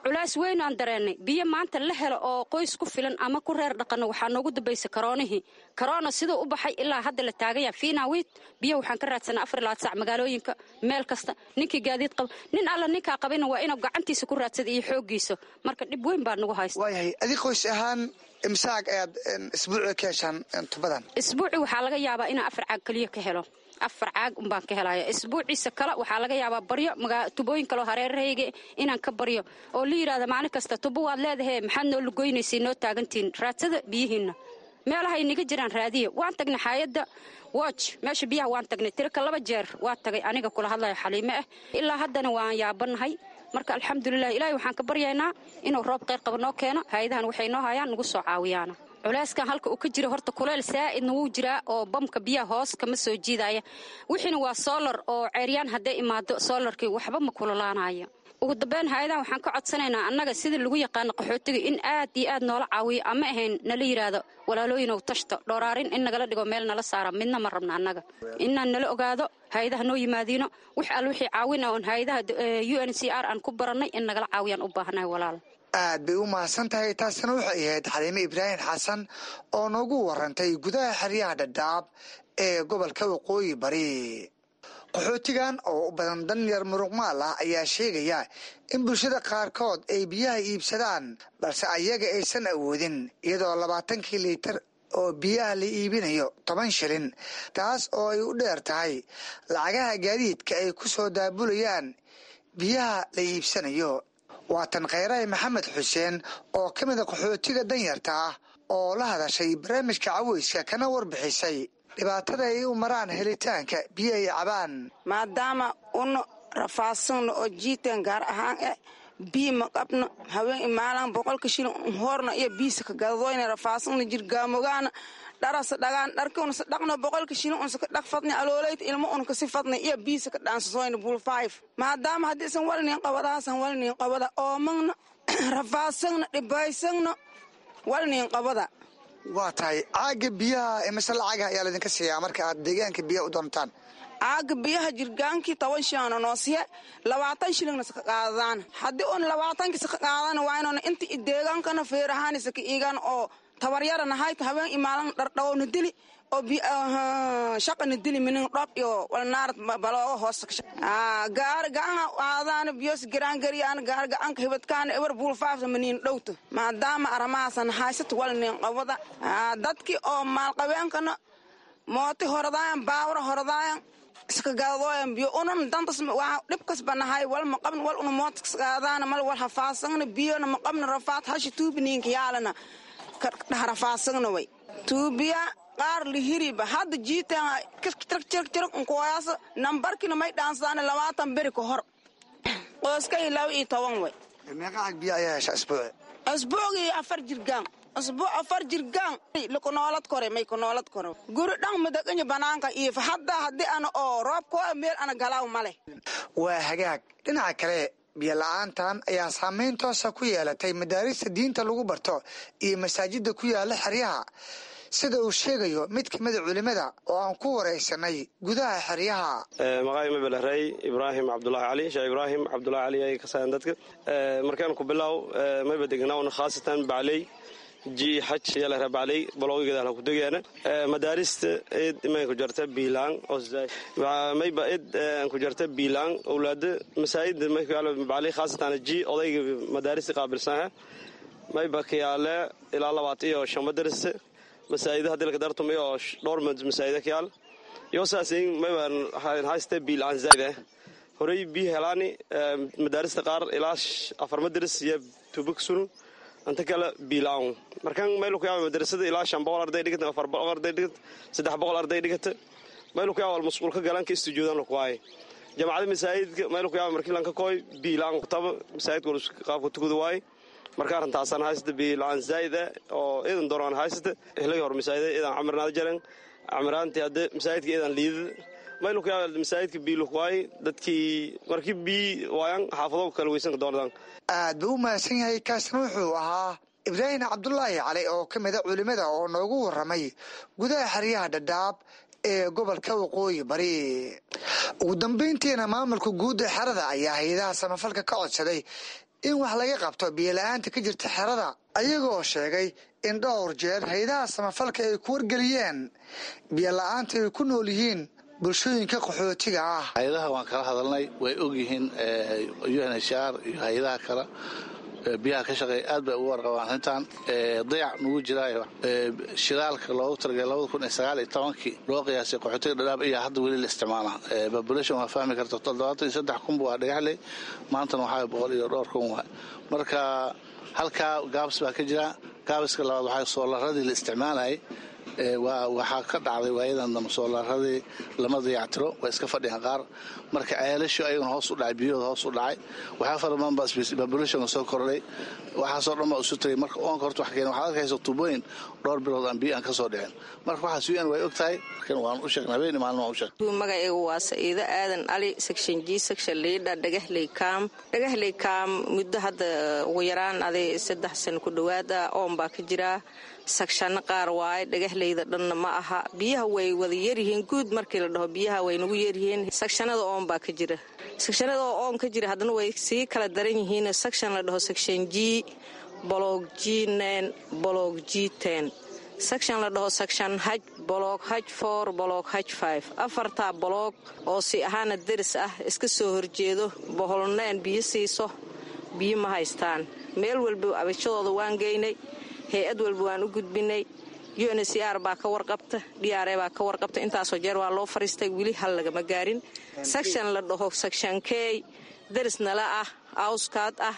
Culays weyn aan dareennay biyo maanta la helo oo qoys ku filan ama ku reer dhaqanno. Waxaa noogu dambaysay karoonihii. Karoona siduu u baxay ilaa hadda la taagaya fiinaawiid. Biyaha waxaan ka raadsanaa 24 saac magaalooyinka, meel kasta. Ninkii gaadiid qaba, nin alla ninkaa qabayna waa inuu gacantiisa ku raadsada iyo xooggiisa. Marka dhib weyn baa nagu haysta. Waayahay, adig qoys ahaan imsaag ayaad isbuuci ka heshaan tubadan? Isbuuci waxaa laga yaabaa inaan 4 caag keliya ka helo. 4 caag unbaan ka helaya. Isbuuciisa kale waxaa laga yaabaa baryo tubooyin kaleo hareerahayga inaan ka baryo oo la yidhahda maalin kasta tubo waad leedahe, maxaad noo lugoynaysay, noo taagantihiin, raadsada biyihiinna, meelahay naga jiraan raadiya. Waan tagnay xaayadda watch, meesha biyaha waan tagnay tirika 2 jeer waa tagay, aniga kula hadlayo Xaliime ah. Ilaa haddana waan yaabanahay. Marka alxamdulilah, Ilaahay waxaan ka baryaynaa inuu roob kheyr qaba noo keeno. Hay-adahan waxay noo hayaan nagu soo caawiyaana. Culeyskan halka uu ka jira horta kuleyl saa'idna wuu jiraa oo bamka biyaha hoos kama soo jiidaya. Wixiina waa solar oo ceeryaan, hadday imaado solarkii waxba ma kululaanayo. Ugu dambeyn hay-adaha waxaan ka codsanaynaa annaga sidii lagu yaqaano qaxootiga in aad iyo aad noola caawiyo, ama ahayn nala yidhaahdo walaalooyinow tashta dhooraarin in nagala dhigo meel nala saara midna ma rabna annaga. Inaan nala ogaado hay-adaha noo yimaadiino wax al wixii caawina oon hay-adaha UNHCR aan ku barannay in nagala caawiyaan u baahanahay walaal. Aad bay u mahadsan tahay. Taasina waxay ahayd Xaliime Ibraahim Xasan oo noogu warantay gudaha xeryaha Dhadhaab ee gobolka Waqooyi Bari. Qaxootigan oo u badan danyar muruqmaal ah ayaa sheegaya in bulshada qaarkood ay biyaha iibsadaan, balse ayaga aysan awoodin, iyadoo 20kii liitar oo biyaha la iibinayo 10 shilin, taas oo ay u dheer tahay lacagaha gaadiidka ay ku soo daabulayaan biyaha la iibsanayo. Waatan Kheyrahay Maxamed Xuseen oo ka mida qaxootiga danyarta ah oo la hadashay barnaamijka caweyska kana warbixisay dhibaatada ay u maraan helitaanka biyo ay cabaan. Maadaama una rafaadsanno oo jiiteen gaar ahaan biyo ma qabno, haween imaalaan 100ka shilin horna iyo biisa ka gadadoyna, rafaadsanno jirgaamogaana dharasa dhagaan dharka unsa dhaqno, 100ka shilin unsa ka dhaq fadni, aloolayta ilmo un kasi fadni iyo biisa ka dhaansasoyna buul five. Maadaama haddii isan walinin qabadaasan walinin qabada, oomagna, rafaadsanno, dhibaysagno, walinin qabada. Waa tahay, caaga biyaha imise lacaga ayaa laydinka siiyaa marka aad deegaanka biyaha u doontaan? Caaga biyaha jirgaankii 10 shilingna noosiye, 20 shilingna saka qaadadaan. Haddii un 20kii saka qaadana waa inuuna inta i deegaankana feerahaani saka iigan oo tabaryara nahayta, haween imaalan dhardhawowna dili oo shaqana dili minin dhoob iyo walnaarad balooga hoos gaar gacanha aadaana biyos garaangariyaan gaar gacanka hibadkaana ebar buulfaafta maniin dhowta. Maadaama aramahaasan haysata walnin qabada, dadkii oo maalqabeenkana mooti horadaayan, baawara horadaayan, iska gadadooyan biyo. Unan dantas waa dhibkas banahay, wal ma qabn, wal una mootas qaadaana mal wal hafaasagna, biyona ma qabna, rafaad hashi tuubiniinka yaalana dhax rafaasagna way tuubiya qaar lihiriba hadda jiiteen jirg nkooyaas nambarkina may dhaansadaan 20 beri ka hor. Qoyskay 12 way. Meeqa cag biyo ayaa hesha isbuuci? Isbuucii afar jirgaan, isbuuc afar jirgaan lakunoolad kore, may kunoolad kore. Guri dhan madaqanya banaanka iyo hadda haddii ana oo roobkoo meel ana galaaw male. Waa hagaag. Dhinaca kale, biyo la-aantan ayaa saameyn toosa ku yeelatay madaarista diinta lagu barto iyo masaajida ku yaala xeryaha, sida uu sheegayo mid kamida culimada oo aan ku waraysanay gudaha xeryaha. Maqaay mabelerey Ibraahim Cabdulaahi Cali, Sheekh Ibraahim Cabdulaahi Cali ay kasayaan dadka. Markaan ku bilow, mayba degnaawn khaasatan Bacley ji xaj yalahra Bacley balooga gadaal ku degaana. Madaarista id imay ku jarta biilaan oo mayba id ku jarta biilaan awlaada masaajid may ku yaalo Bacley, khaasatan ji odayga madaarista qaabilsanaha. Mayba ka yaale ilaa 25 madarasa masaajida hadii laga dartumayo oo dhowr masaajida ka yaal iyo saasin. Mayba haysta biilaan zaid horey biyo helaani. Madaarista qaar ilaa afar madaras iyo tubag sunu anta kale biilaan. Markaan meel ku yaaba madrasada ilaa 500 arday dhigata, 400 arday dhigata, 300 arday dhigata, meel ku yaaba mas'uul ka galan ka istujuudan ku waay jamacada masaajidka. Meel ku yaaba markii lan ka kooy biilaan qtaba masaajidka qaabka tukada waay. Marka arrintaasaan haysata biilaan zaid oo idan dooraan haysata. Helay hor masaajida idan camirnaada jaran camiraantii hadda masaajidka idan liidada meel ku yaaba masaajidka biilu waay dadkii markii bii waayaan xaafado kala weysan ka doonadaan. Aad buu u mahadsan yahay. Kaasna wuxuu ahaa Ibraahim Cabdulaahi Cali oo ka mida culimada oo noogu waramay gudaha xeryaha Dhadhaab ee gobolka Waqooyi Bari. Ugu dambeyntiina, maamulka guud ee xerada ayaa hay-adaha samafalka ka codsaday in wax laga qabto biyo la-aanta ka jirta xerada, ayagoo sheegay in dhowr jeer hay-adaha samafalka ay ku wargeliyeen biyo la-aanta ay ku nool yihiin bulshooyinka qaxootiga ah. Hay-adaha waan kala hadalnay, way ogyihiin. UNHCR iyo hay-adaha kale biyaha ka shaqeeya aad bay ugu warqabaan arrintan. Dayac nagu jiraayo shidaalka loogu talagalay 2019kii loo qiyaasay qaxootiga Dhadhaab iyo hadda weli la isticmaalaa. Population waa fahmi karta, 73,000 waa Dhagaxley, maantana waxaa boqol iyo dhowr kun waay. Marka halkaa gaabis baa ka jira. Gaabiska labaad waxaa soolaradii la isticmaalayay. Waxaa ka dhacday waayadan dambe soolaaradii lama dayactiro, waa iska fadhiyaan qaar. Marka ceelashu ayaguna hoos u dhacay, biyahooda hoos u dhacay. Waxaa fara badan baa populationka soo kordhay, waxaasoo dhan baa isu tagay. Marka oonka horta wax keena, waxaad arkaysa tuubooyin dhowr bilood aan biyo aan ka soo dhicin. Marka waxaas UN way og tahay, waan u sheegnay, habeen maalin waan u sheegnay. Magacaygu waa Saciido Aadan Ali, section G, section leader, Dhagahley Kaam. Dhagahley Kaam muddo hadda ugu yaraan aday 3 sano ku dhowaada oon baa ka jiraa. Sectionno qaar waaye, Dhagahleyda dhanna ma aha. Biyaha way wada yaryihiin guud markii la dhaho, biyaha way nagu yaryihiin. Sectionada oon baa ka jira, sectionada oo oon ka jira haddana way sii kala daran yihiin. Section la dhaho section G, block G9, block G10, section la dhaho section H, block H4, block H5, afartaa block oo si ahaana deris ah, iska soo horjeedo, boholneen biyo siiso, biyo ma haystaan. Meel walba abashadooda waan geynay, hay-ad walba waan u gudbinay. UNHCR baa ka warqabta, DRA baa ka warqabta. Intaasoo jeer waa loo fariistay, weli hal lagama gaarin. Section la dhaho section K, deris nala ah, awskaad ah,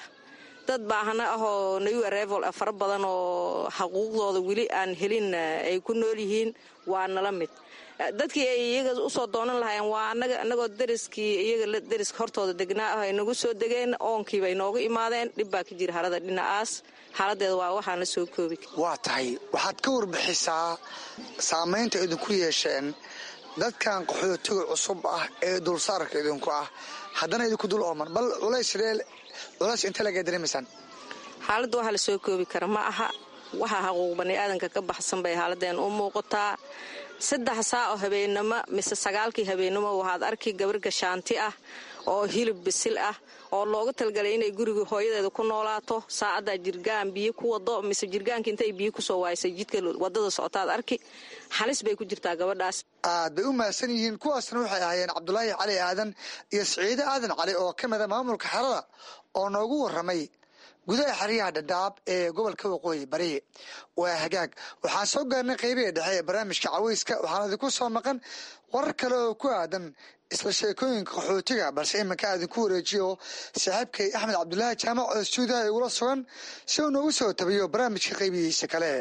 dad baahana ah oo new arrival ah fara badan oo xaquuqdooda weli aan helin ay ku nool yihiin, waa nala mid. Dadkii ay iyaga usoo doonan lahaayeen waa anaga, anagoo deriskii iyaga deriska hortooda degnaa ah ay nagu soo degeen, oonkiibay noogu imaadeen. Dhib baa ka jira harada dhinacaas, xaaladeeda waa waxaan la soo koobi. Waa tahay, waxaad ka warbixisaa saamaynta idinku yeesheen dadkan qaxootiga cusub ah ee dulsaarka idinku ah, haddana idinku dul ooman. Bal culays culays inta laga dareemaysaan? Xaaladda waxaa la soo koobi kara ma aha. Waxa xaquuq baniaadanka ka baxsan bay xaaladeen u muuqataa. 3 saac oo habeenimo mise 9-kii habeenimo waxaad arki gabar gashaanti ah oo hilib bisil ah oo looga talgalay inay guriga hooyadeeda ku noolaato, saacaddaa jirgaan biyo ku wado mise jirgaanka intay biyo kusoo waaysay jidka wadada socotaad arki. Halis bay ku jirtaa gabadhaas. Aad bay u mahadsan yihiin. Kuwaasna waxay ahaayeen Cabdulaahi Cali Aadan iyo Siciide Aadan Cali oo ka mida maamulka xerada oo noogu waramay gudaha xeryaha Dhadhaab ee gobolka Waqooyi Bari. Waa hagaag, waxaan soo gaarnay qeybihii dhexe ee barnaamijka caweyska. Waxaan idinku soo maqan warar kale oo ku aadan isla sheekooyinka qaxootiga, balse iminka idinku wareejiyo saaxiibkay Axmed Cabdulaahi Jaamac oo stuudiyaha igula sugan si uu noogu soo tabiyo barnaamijka qeybihiisa kale.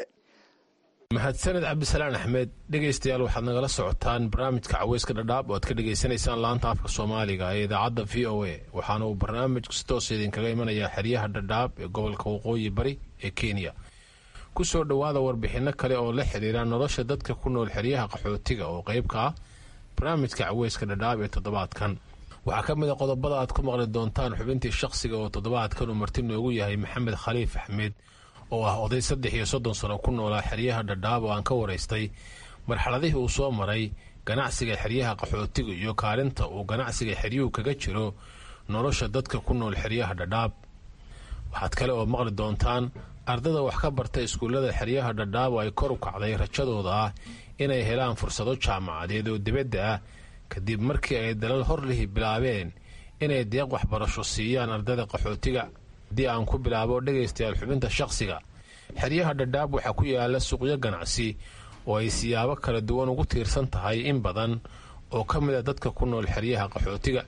Mahadsaned Cabdisalaan Axmed. Dhegaystayaal, waxaad nagala socotaan barnaamijka caweyska Dhadhaab oo aad ka dhegaysanaysaan laanta afka Soomaaliga ee idaacadda VOA. Waxaana uu barnaamijku si toos idinkaga imanayaa xeryaha Dhadhaab ee gobolka Waqooyi Bari ee Kenya. Ku soo dhowaada warbixinno kale oo la xiriira nolosha dadka ku nool xeryaha qaxootiga oo qeyb ka ah barnaamijka caweyska Dhadhaab ee toddobaadkan. Waxaa ka mid a qodobada aad ku maqli doontaan xubintii shaqsiga oo toddobaadkan uu marti noogu yahay Maxamed Khaliif Axmed oo ah oday 33 sano ku noolaa xeryaha Dhadhaab, oo aan ka waraystay marxaladihii uu soo maray ganacsiga xeryaha qaxootiga iyo kaalinta uu ganacsiga xeryuhu kaga jiro nolosha dadka ku nool xeryaha Dhadhaab. Waxaad kale oo maqli doontaan ardada wax ka barta iskuullada xeryaha Dhadhaab oo ay kor u kacday rajadooda ah inay helaan fursado jaamacadeed oo dibadda ah, kadib markii ay dalal horlihi bilaabeen inay deeq waxbarasho siiyaan ardada qaxootiga. Haddii aan ku bilaabo, dhegaystayaal, xubinta shaqsiga, xeryaha Dhadhaab waxaa ku yaala suuqyo ganacsi oo ay siyaabo kala duwan ugu tiirsan tahay in badan oo ka mid a dadka ku nool xeryaha qaxootiga.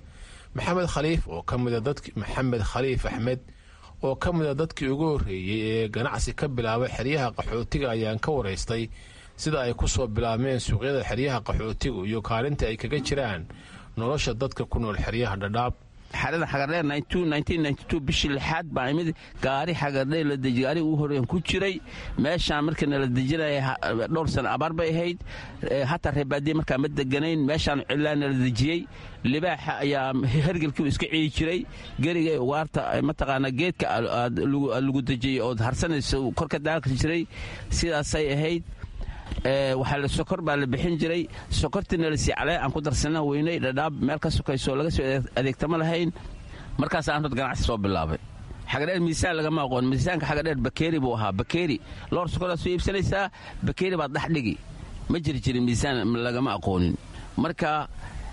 Maxamed Khaliif oo ka mida dad Maxamed Khaliif Axmed oo ka mid a dadkii ugu horreeyey ee ganacsi ka bilaabay xeryaha qaxootiga ayaan ka waraystay sida ay ku soo bilaabmeen suuqyada xeryaha qaxootigu iyo kaalinta ay kaga jiraan nolosha dadka ku nool xeryaha Dhadhaab. Xerada Xagardheer bishii lixaad baa imid. Gaari Xagardheer la deji, gaari ugu horreyn ku jiray meeshaan. Markii nala dejinaya dhowr sano abaar bay ahayd, hataa reebaadiye markaa ma deganayn. Meeshaan cilaa nala dejiyey. Libaaxa ayaa hergelkiibu iska ciyi jiray, geriga ugaarta mataqaana geedka lagu dejiyey ood harsanayso kor ka daaqi jiray. Sidaasay ahayd. Waxaa sokor baa la bixin jiray, sokortiina lasii calee aan ku darsana weynay. Dhadhaab meel ka sokayso laga soo adeegtama lahayn. Markaas aan hod ganacsi soo bilaabay. Xagadheer miisaan lagama aqoon. Miisaanka Xagadheer bakeeri buu ahaa. Bakeeri loor sokoraad soo iibsanaysaa, bakeeri baad dhex dhigi. Ma jiri jirin, miisaan lagama aqoonin. Marka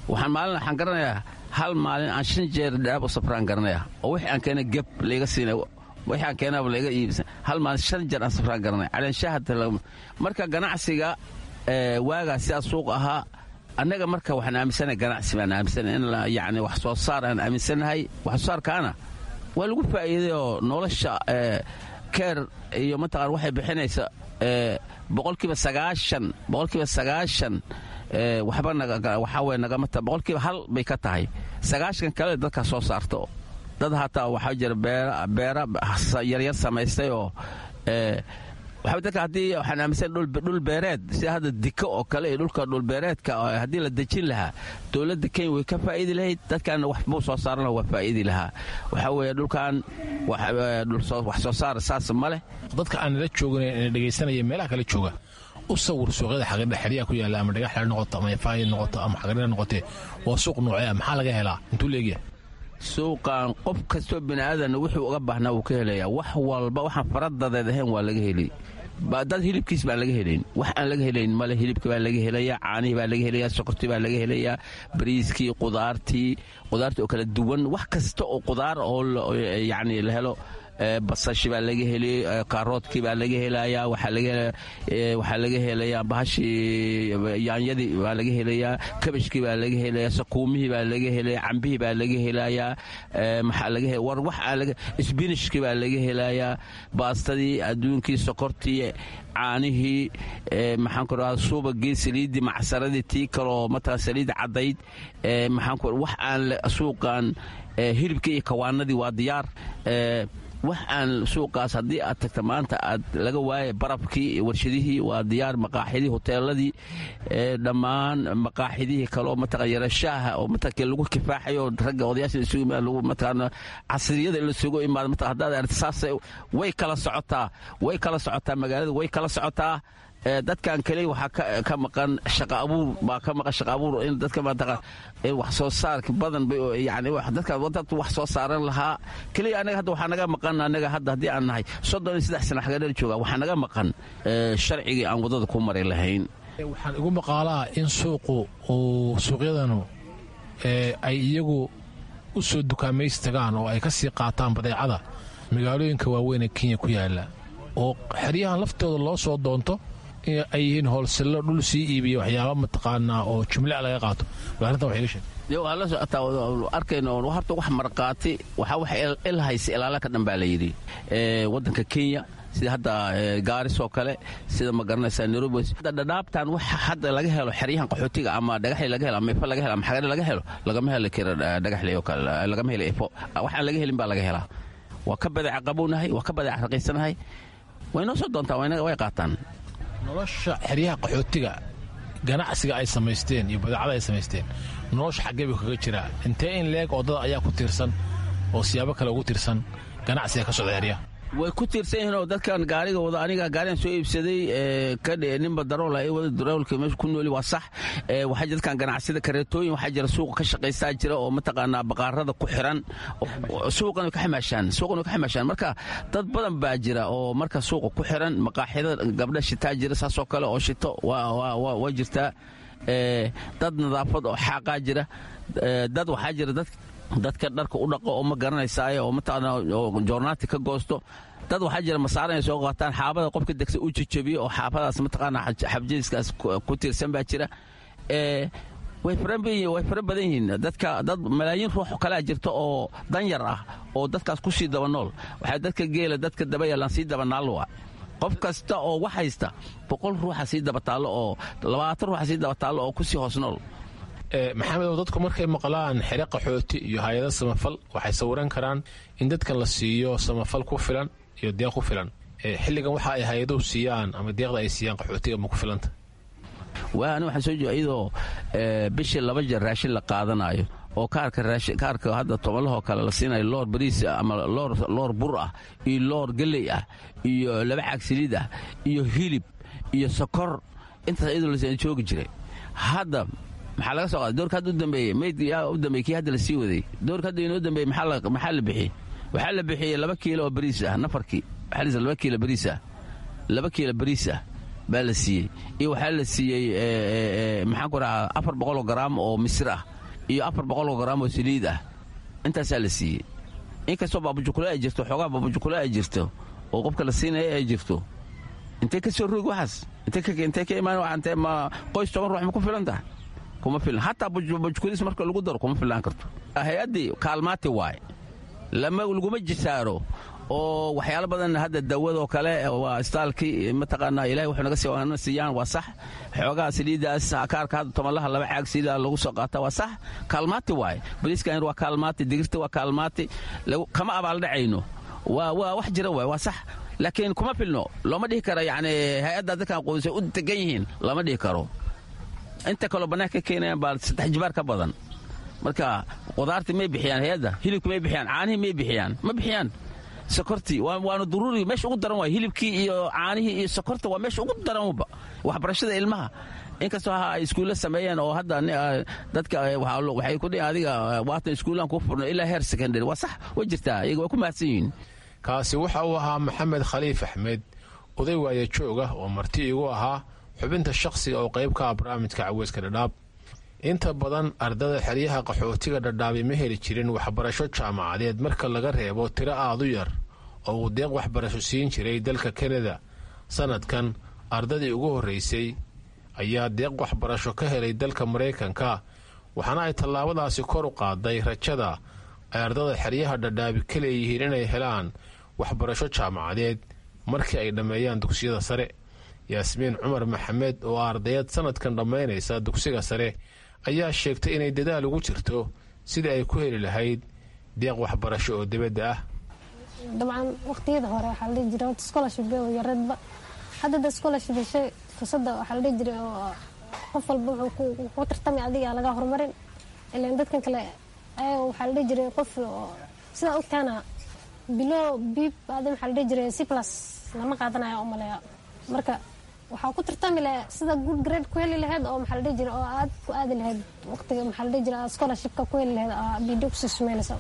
waxaan maalin waxaan garanayaa, hal maalin aan shan jeer Dhadhaab u safraan garanaya, oo wixii aan keena geb layga siinay, wixii aan keenaaba layga iibsan. Hal maalin shan jeer aan safraan garanaya caleenshaha. Marka ganacsiga waagaa sidaas suuq ahaa. Annaga marka waxaan aaminsanahay ganacsi baan aaminsanahay, in yacni wax soo saar aan aaminsanahay. Wax soo saarkaana waa lagu faa'iiday oo nolosha Keer iyo mataqaan waxay bixinaysa 90%, 90% waxba waxaa weye nagamata, 1% bay ka tahay. 90 kale dadka soo saarto. Dad hataa waxaa jira beera yaryar samaystay oo waxaa dadka haddii waxaan aaminsan dhul beereed sida hadda diko oo kale iyo dhulka dhulbeereedka haddii la dejin lahaa, dowladda Kenya way ka faa'iidi lahayd, dadkaana wax buu soo saaran waa faa'iidi lahaa. Waxaa weeye dhulkan wax soo saar saas ma leh. Dadka aan nala joogin ee dhegaysanaya meelaha kala jooga, u sawir suuqyada xagardhe xeryaha ku yaalla, ama dhagaxle noqoto ama ifaayi noqoto ama xagardhe noqotee, waa suuq noocee ah? Maxaa laga helaa? Intuu leegyahay? Suuqan qof kastoo biniaadan wuxuu uga baahnaa wuu ka helayaa. Wax walba waxaan faradadeed ahayn waa laga helay. Dad hilibkiis baan laga helayn, wax aan laga helayn male. Hilibki baa laga helayaa, caanihii baa laga helayaa, sokortii baa laga helayaa, bariiskii, qudaartii, qudaartii oo kala duwan, wax kasta oo qudaar oo yacni la helo, basashi baa laga helay, kaaroodkii baa laga helayaa, waxaa laga helayaa bahashii yaanyadii baa laga helayaa, kabashkii baa laga helayaa, sakuumihii baa laga helayaa, cambihii baa laga helayaa, maxaa laga war wax aan laga, isbinishkii baa laga helayaa, baastadii adduunkii, sokortii, caanihii, maxaan ku dhahaa, suubagii, saliiddii, macsaradii, tii kaloo mataqan saliid caddayd, maxaan ku wax aan suuqan, hilibkii iyo kawaanadii waa diyaar. Wax aan suuqaas haddii aad tagta maanta aad laga waaya, barafkii, warshadihii waa diyaar, maqaaxidii, hoteeladii, dhammaan maqaaxidihii kaleo mataqan yarashaaha oo mataqan lagu kifaaxayo ragga odayaasha isugu imaada, lagu mataqan casriyada in lasugu imaado mataqan haddaad aragto saasay way kala socotaa, way kala socotaa magaalada, way kala socotaa. Dadkan kaliya waxaa ka maqan shaqa abuur baa ka maqan, shaqa abuur in dadka mataqan wax soo saarka badan bay yani dadka dad wax soo saaran lahaa kaliya. Anaga hadda waxaa naga maqan, anaga hadda haddii aan nahay 33 sano xagadheer jooga, waxaa naga maqan sharcigii aan waddada ku mari lahayn. Waxaan igu maqaalaa in suuqu uu suuqyadanu ay iyagu u soo dukaamaysi tagaan oo ay ka sii qaataan badeecada magaalooyinka waaweyn ee Kenya ku yaala, oo xeryahan laftooda loo soo doonto ay yihiin hoolsello dhul sii iibiya waxyaaba mataqaanaa oo jumla laga qaato. Bal arrintan wax iga sheeg. Waa la socotaa, arkayno horta wax marqaati waxaa wax il haysa ilaala ka dhan baa la yidhi. Waddanka Kenya sida hadda Gaaris oo kale, sida ma garanaysaa Nairobi, dhadhaabtan wax hadda laga helo xeryahan qaxootiga ama dhagaxli laga helo ama ifo laga helo ama xagare laga helo, lagama heli karo dhagaxli oo kale, lagama helo ifo. Waxaan laga helin baa laga helaa. Waa ka badeeca qabownahay, waa ka badeeca raqiisanahay, way noo soo doontaan, way qaataan. Nolosha xeryaha qaxootiga, ganacsiga ay samaysteen iyo badeecada ay samaysteen, nolosha xaggee buu kaga jiraa? Intee in leeg oo dad ayaa ku tiirsan oo siyaabo kale ugu tiirsan ganacsiga ka socda xeryaha? Way ku tiirsan yihiin oo dadkan gaariga wada, aniga gaarigan soo iibsaday ninba darool ay wada, daroolka meesha ku nooli waa sax. Waxaa jira dadkan ganacsida kareetooyin, waxaa jira suuqa ka shaqaystaa jira oo mataqaanaa baqaarada ku xiran, suuqan way ka xamaashaan, suuqan way ka xamaashaan. Marka dad badan baa jira oo marka suuqa ku xiran, maqaaxida gabdha shitaa jira saasoo kale oo shito waa jirtaa, dad nadaafad oo xaaqaa jira, dad waxaa jira dad dadka dharka u dhaqo oo ma garanaysaaye oo mataqaana oo joornaati ka goosto, dad waxaa jira masaara inay soo qaataan, xaabada qofka degsa u jejebiyo oo xaabadaas mataqaana xabjadiiskaas ku tiirsan baa jira. Way fara badan yihiin dadka, dad malaayiin ruux kalaa jirta oo danyar ah oo dadkaas ku sii daba nool. Waxaa dadka geela dadka daba yaalaan sii daba naal waa qof kasta oo wax haysta 100 ruuxa sii daba taallo oo 20 ruuxa sii daba taallo oo ku sii hoos nool. Maxamedow, dadku markay maqlaan xere qaxooti iyo hay-ado samafal, waxay sawiran karaan in dadkan la siiyo samafal ku filan iyo deeq ku filan. Xilligan waxa ay hay-aduhu siiyaan ama deeqda ay siiyaan qaxootiga ma ku filanta? Waa ani waxaan soo jeeda iyadoo bishii 2 jeer raashin la qaadanayo oo kaarka kaarka hadda tobanlahoo kale la siinayo loor bariis ama loor bur ah iyo loor galley ah iyo 2 caag saliid ah iyo hilib iyo sokor, intaas iyadoo la joogi jiray. Hadda maxaa laga soo qaaday doorka hadda u dambeeyey? Mayd yaa u dambeeyey kii hadda la sii waday? Doorka hadda inoo dambeeyey maxaa la bixiyey? Waxaa la bixiyey 2 kiilo oo bariis ah nafarkii. Waxaa la siiyey 2 kiilo bariis ah, 2 kiilo bariis ah baa la siiyey, iyo waxaa la siiyey maxaan ku dhahaa 400 garaam oo misir ah iyo 400 garaam oo saliid ah. Intaasaa la siiyey, inkastoo baabujukule ay jirto, xoogaa baabujukule ay jirto oo qofka la siinaya ay jirto. Intee ka soo rogi waxaas? Intee ka imaan? Intee ma qoys 10 ruux ma ku filan tahay? Kuma filan. Hataa bujkulis marka lagu daro kuma filaan karto. Hay-addii kaalmaati waaye, lama laguma jisaaro Oo waxyaalo badan hadda dawadoo kale waa istaalkii, mataqaanaa, Ilahay wuxuu naga sii siiyaan waa sax. Xoogaha saliidaas kaarka hadda 10-laha laba caag saliida lagu soo qaata, waa sax, kaalmaati waaye. Bariiskan waa kaalmaati, digirta waa kaalmaati, kama abaaldhacayno, waa wax jira waay, waa sax, laakiin kuma filno. Looma dhihi karo yacni hay-adda dadkan qoysay u degan yihiin, lama dhihi karo. Inta kaloo bannaanka ka keenayaan baa saddex jibaar ka badan. Marka qudaartii may bixiyaan hay-adda, hilibki may bixiyaan, caanihii may bixiyaan, ma bixiyaan sokortii. Waana duruuri, meesha ugu daran waay hilibkii iyo caanihii iyo sokorta, waa meesha ugu daranba. Waxbarashada ilmaha, inkastoo ha ay iskuulla sameeyeen oo hadda dadka waxay ku dhihin adiga waatan iskuullaan kuu furno ilaa heer secondary, waa sax, way jirtaa, iyaga waa ku mahadsan yihiin. Kaasi waxa uu ahaa Maxamed Khaliif Axmed, oday waaya joog ah oo marti igu ahaa xubinta shakhsiga oo qayb ka ah barnaamijka Caweyska Dhadhaab. Inta badan ardada xeryaha qaxootiga Dhadhaabi ma heli jirin waxbarasho jaamacadeed, marka laga reebo tiro aad u yar oo uu deeq waxbarasho siin jiray dalka Kanada. Sanadkan ardadii ugu horreysay ayaa deeq waxbarasho ka helay dalka Maraykanka, waxaana ay tallaabadaasi kor u qaaday rajada ay ardada xeryaha Dhadhaabi ka leeyihiin inay helaan waxbarasho jaamacadeed markii ay dhammeeyaan dugsiyada sare. Yaasmiin Cumar Maxamed oo ardayad sanadkan dhammaynaysa dugsiga sare ayaa sheegtay inay dadaal ugu jirto sidii ay ku heli lahayd deeq waxbarasho oo dibadda ah. Dabcan waqtiyada hore waxaa la dhihi jiray horta scholarship bay yareedba. Hadda da scholarship heshay, fursadda waxaa la dhihi jiray oo qof walba wuxuu ku tartamay adiga laga horumarin ilaan dadkan kale ayaga. Waxaa la dhihi jiray qof sidaa ogtaana below B adi waxaa la dhihi jiray C+ lama qaadanayo u maleeya. Marka waxaa ku tartami laha sida good grade ku heli lahayd oo maxaa la dhihi jiray oo aad ku aadi lahayd waqtiga maxaa la dhihi jiray aad scholarshipka ku heli lahayd, aa video kusii sumeynaysa.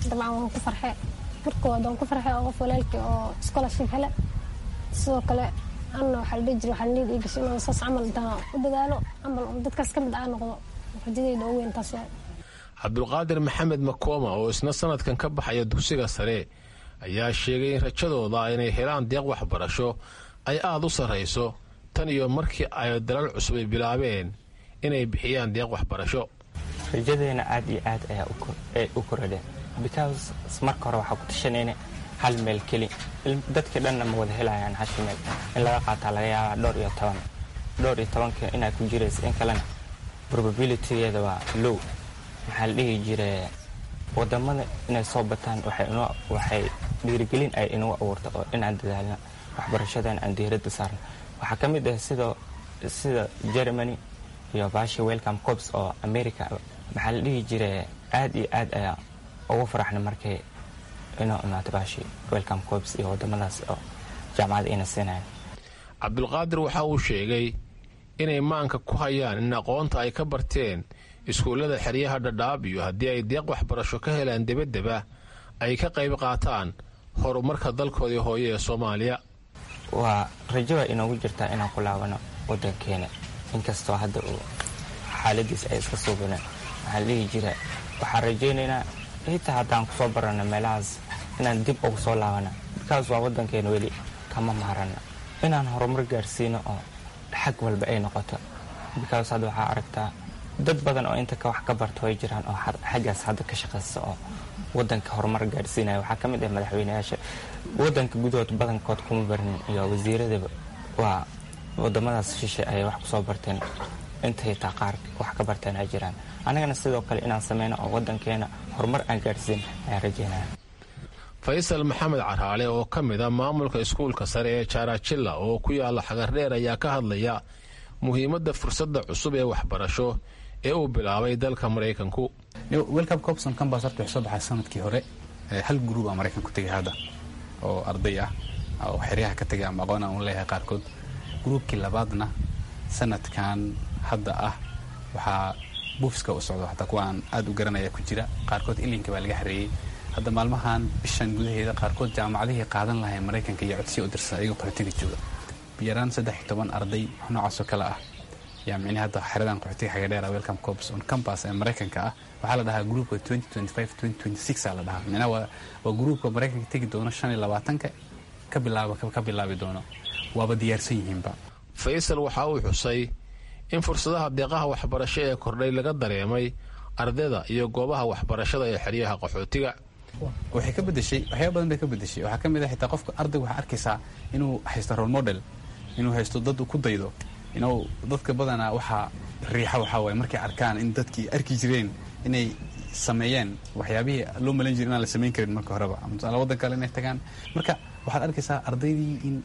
Dabcan waan ku farxay, markooda waan ku farxay oo qof walaalkii oo scholarship hele. Sidoo kale anna waxaa la dhihi jiray waxaa niyad ii gashay inaan saas camal intaan u dadaalo camal dadkaas ka mid aa noqdo. Rajadayda ugu weyn taas waa. Cabdulqaadir Maxamed Makooma oo isna sanadkan ka baxaya dugsiga sare ayaa sheegay in rajadooda inay helaan deeq waxbarasho ay aada u sarrayso tan iyo markii ay dalal cusub ay bilaabeen inay bixiyaan deeq waxbarasho. Rajadeena aad iyo aad ayaa u korodheen, because marka hore waxaa ku tashanayna hal meel keli. Dadka dhanna ma wada helayaan hasha meel in laga qaataa, laga yaabaa dhowr iyo toban, dhowr iyo tobanka inaa ku jiraysa in kalena probabilitygeeda waa low. Maxaa la dhihi jire, wadamada inay soo bataan waxay dhiirigelin ay inagu abuurta oo inaan dadaalna, waxbarashadan aan diiradda saarna. Waxaa ka mid ah sida Germany iyo baashi Welcome Corps oo America. Maxaa la dhihi jire, aad iyo aad ayaa ugu faraxna markay inoo imaato baashi Welcome Corps iyo wadamadaas oo jaamacada ina siinayan. Cabdulqaadir waxa uu sheegay inay maanka ku hayaan in aqoonta ay ka barteen iskuullada xeryaha Dhadhaab iyo haddii ay deeq waxbarasho ka helaan debaddeba ay ka qayb qaataan horumarka dalkoodii hooye ee Soomaaliya. Waa rajo waa inoogu jirtaa inaan ku laabano wadankeena, inkastoo hadda uu xaaladiis ay iska suubineen. Waxaa la dhihi jira waxaan rajaynaynaa xitaa haddaan kusoo barano meelahaas inaan dib ugu soo laabana, because waa wadankeena, weli kama maarana inaan horumar gaarsiino oo xag walba ay noqoto, because hadda waxaa aragtaa dad badan oo inta wax ka barto way jiraan oo xaggaas hadda ka shaqaysta oo wadanka horumar gaarsiinaya. Waxaa ka mid ah madaxweyneyaasha wadanka gudahood badankood kuma barnin iyo wasiiradaba, waa wadamadaas shishe ayay wax kusoo barteen, intay taa qaar wax ka barteen ay jiraan. Annagana sidoo kale inaan sameyno oo wadankeena horumar aan gaarsiin ayaan rajeynaya. Faysal Maxamed Caraale oo ka mid a maamulka iskuulka sare ee Jaarajilla oo ku yaala Xagardheer ayaa ka hadlaya muhiimadda fursadda cusub ee waxbarasho ee uu bilaabay dalka Maraykanku. Welcome Corps on Campus horta wuxuu soo baxay sanadkii hore. Hal group aa Maraykan ku tegay hadda oo arday ah oo xeryaha ka tegay ama aqoon aan u leeyahay qaarkood. Groupkii labaadna sanadkan hadda ah waxaa buufiska u socdo, xataa kuwa aan aad u garanaya ku jira qaarkood ilinka baa laga xareeyey hadda maalmahan bishan gudaheeda. Qaarkood jaamacadihii qaadan lahay Maraykanka iyo codsiya u dirsan ayagoo qaxootiga jooga. Yaraan 13 arday wax noocaasoo kale ah yaa micnihi hadda xeradan qaxootiga Xagadheera Welcome Corps on Campus ee Maraykanka ah. Waxaa la dhahaa groupka 2025 2026 aa la dhahaa. Micnaha waa groupka Maraykanka tegi doono 25-ka ka bilaaba ka bilaabi doono, waaba diyaarsan yihiinba. Faysal waxa uu xusay in fursadaha deeqaha waxbarasho ee kordhay laga dareemay ardayda iyo goobaha waxbarashada ee xeryaha qaxootiga. Waxay ka bedeshay waxyaaba badan bay ka bedeshay. Waxaa ka mid ah xitaa qofka ardayga waxaa arkaysaa inuu haysto role model, inuu haysto dad uu ku daydo, inuu dadka badanaa waxaa riixa waxaa waaye markay arkaan in dadkii arki jireen inay sameeyeen waxyaabihii loo malayn jiray inaan la samayn karin marka horeba, ama tusaale waddan kale inay tagaan. Marka waxaad arkaysaa ardaydii in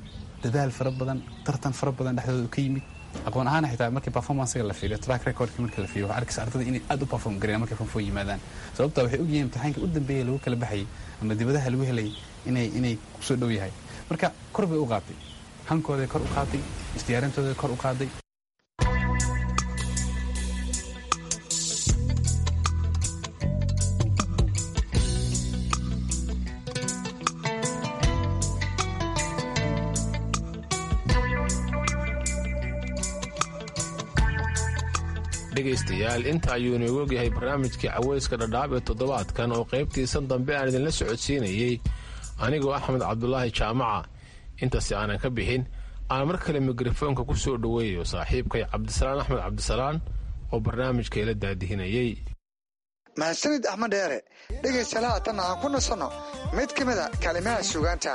dadaal fara badan, tartan fara badan dhexdooda ka yimid. Aqoon ahaan xitaa markii performancega la fiiriyo, track recordka marka la fiiriyo, waxaa arkaysa ardayda inay aad u perform gareeyaan markay form four yimaadaan, sababta waxay ogyihiin imtixaanka u dambeeyay lagu kala baxayay ama dibadaha lagu helay inay kusoo dhow yahay. Marka kor bay u qaatay hankooday, kor u qaaday isdiyaarintooday, kor u qaaday. Dhegaystayaal, inta ayuu inoogu ogyahay barnaamijkii caweyska Dhadhaab ee toddobaadkan oo qaybtiisan dambe aan idinla socodsiinayey anigoo Axmed Cabdulaahi Jaamaca. Intaasi aanan ka bixin, aan mar kale mikrofoonka ku soo dhoweeyo saaxiibkay Cabdisalaan Axmed Cabdisalaan oo barnaamijka ila daadihinayey. Mahadsanid Axmed Dheere. Dhegaystayaal, haatan aan ku nasanno mid ka mida kalimaha suugaanta.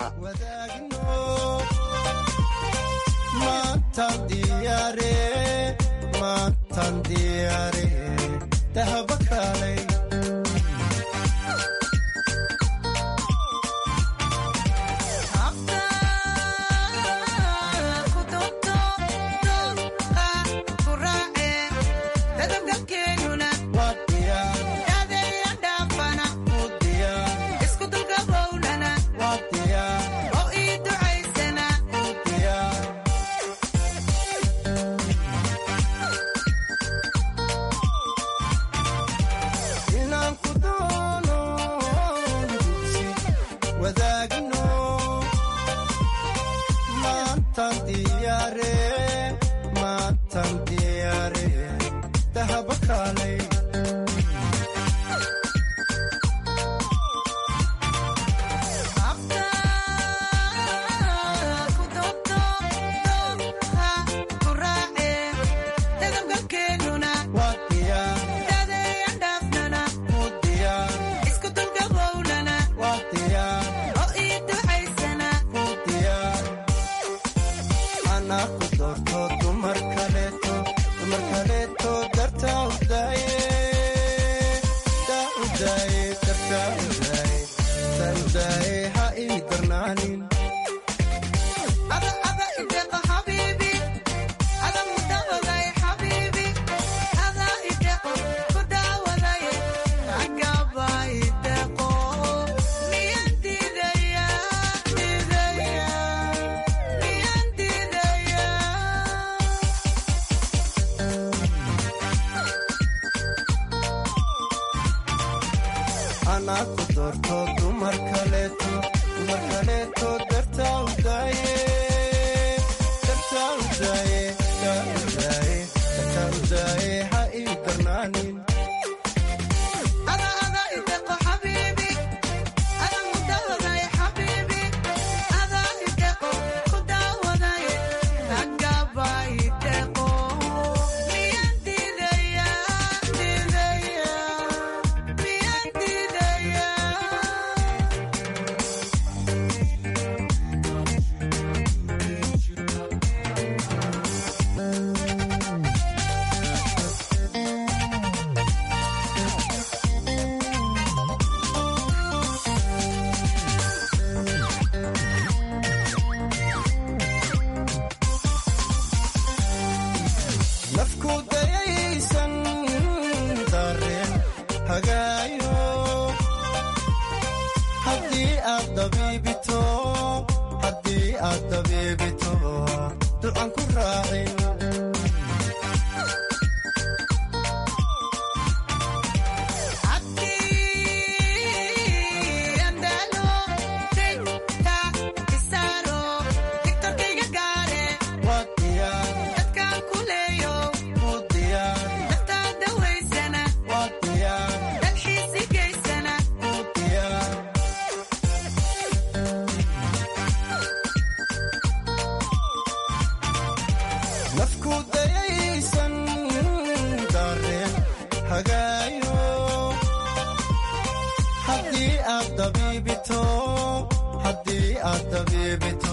daawayto, haddii aad dabiibito,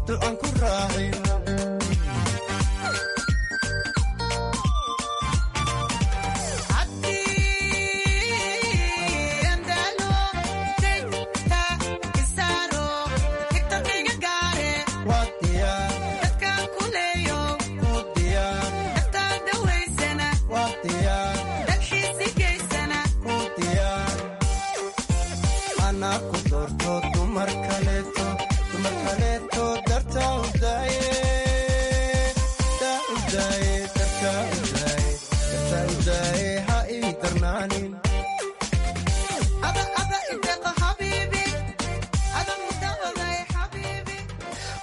ducan ku raacin.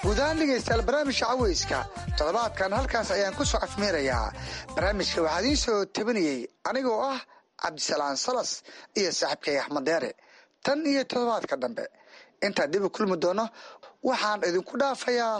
Guudahaan dhegaystayaal, barnaamijka caweyska toddobaadkan halkaas ayaan ku soo cafmeerayaa. Barnaamijka waxaa idiin soo tabinayey anigoo ah Cabdisalaan Salas iyo saaxiibkay Axmed Deere. Tan iyo toddobaadka dambe intaan dib u kulmi doono, waxaan idinku dhaafayaa.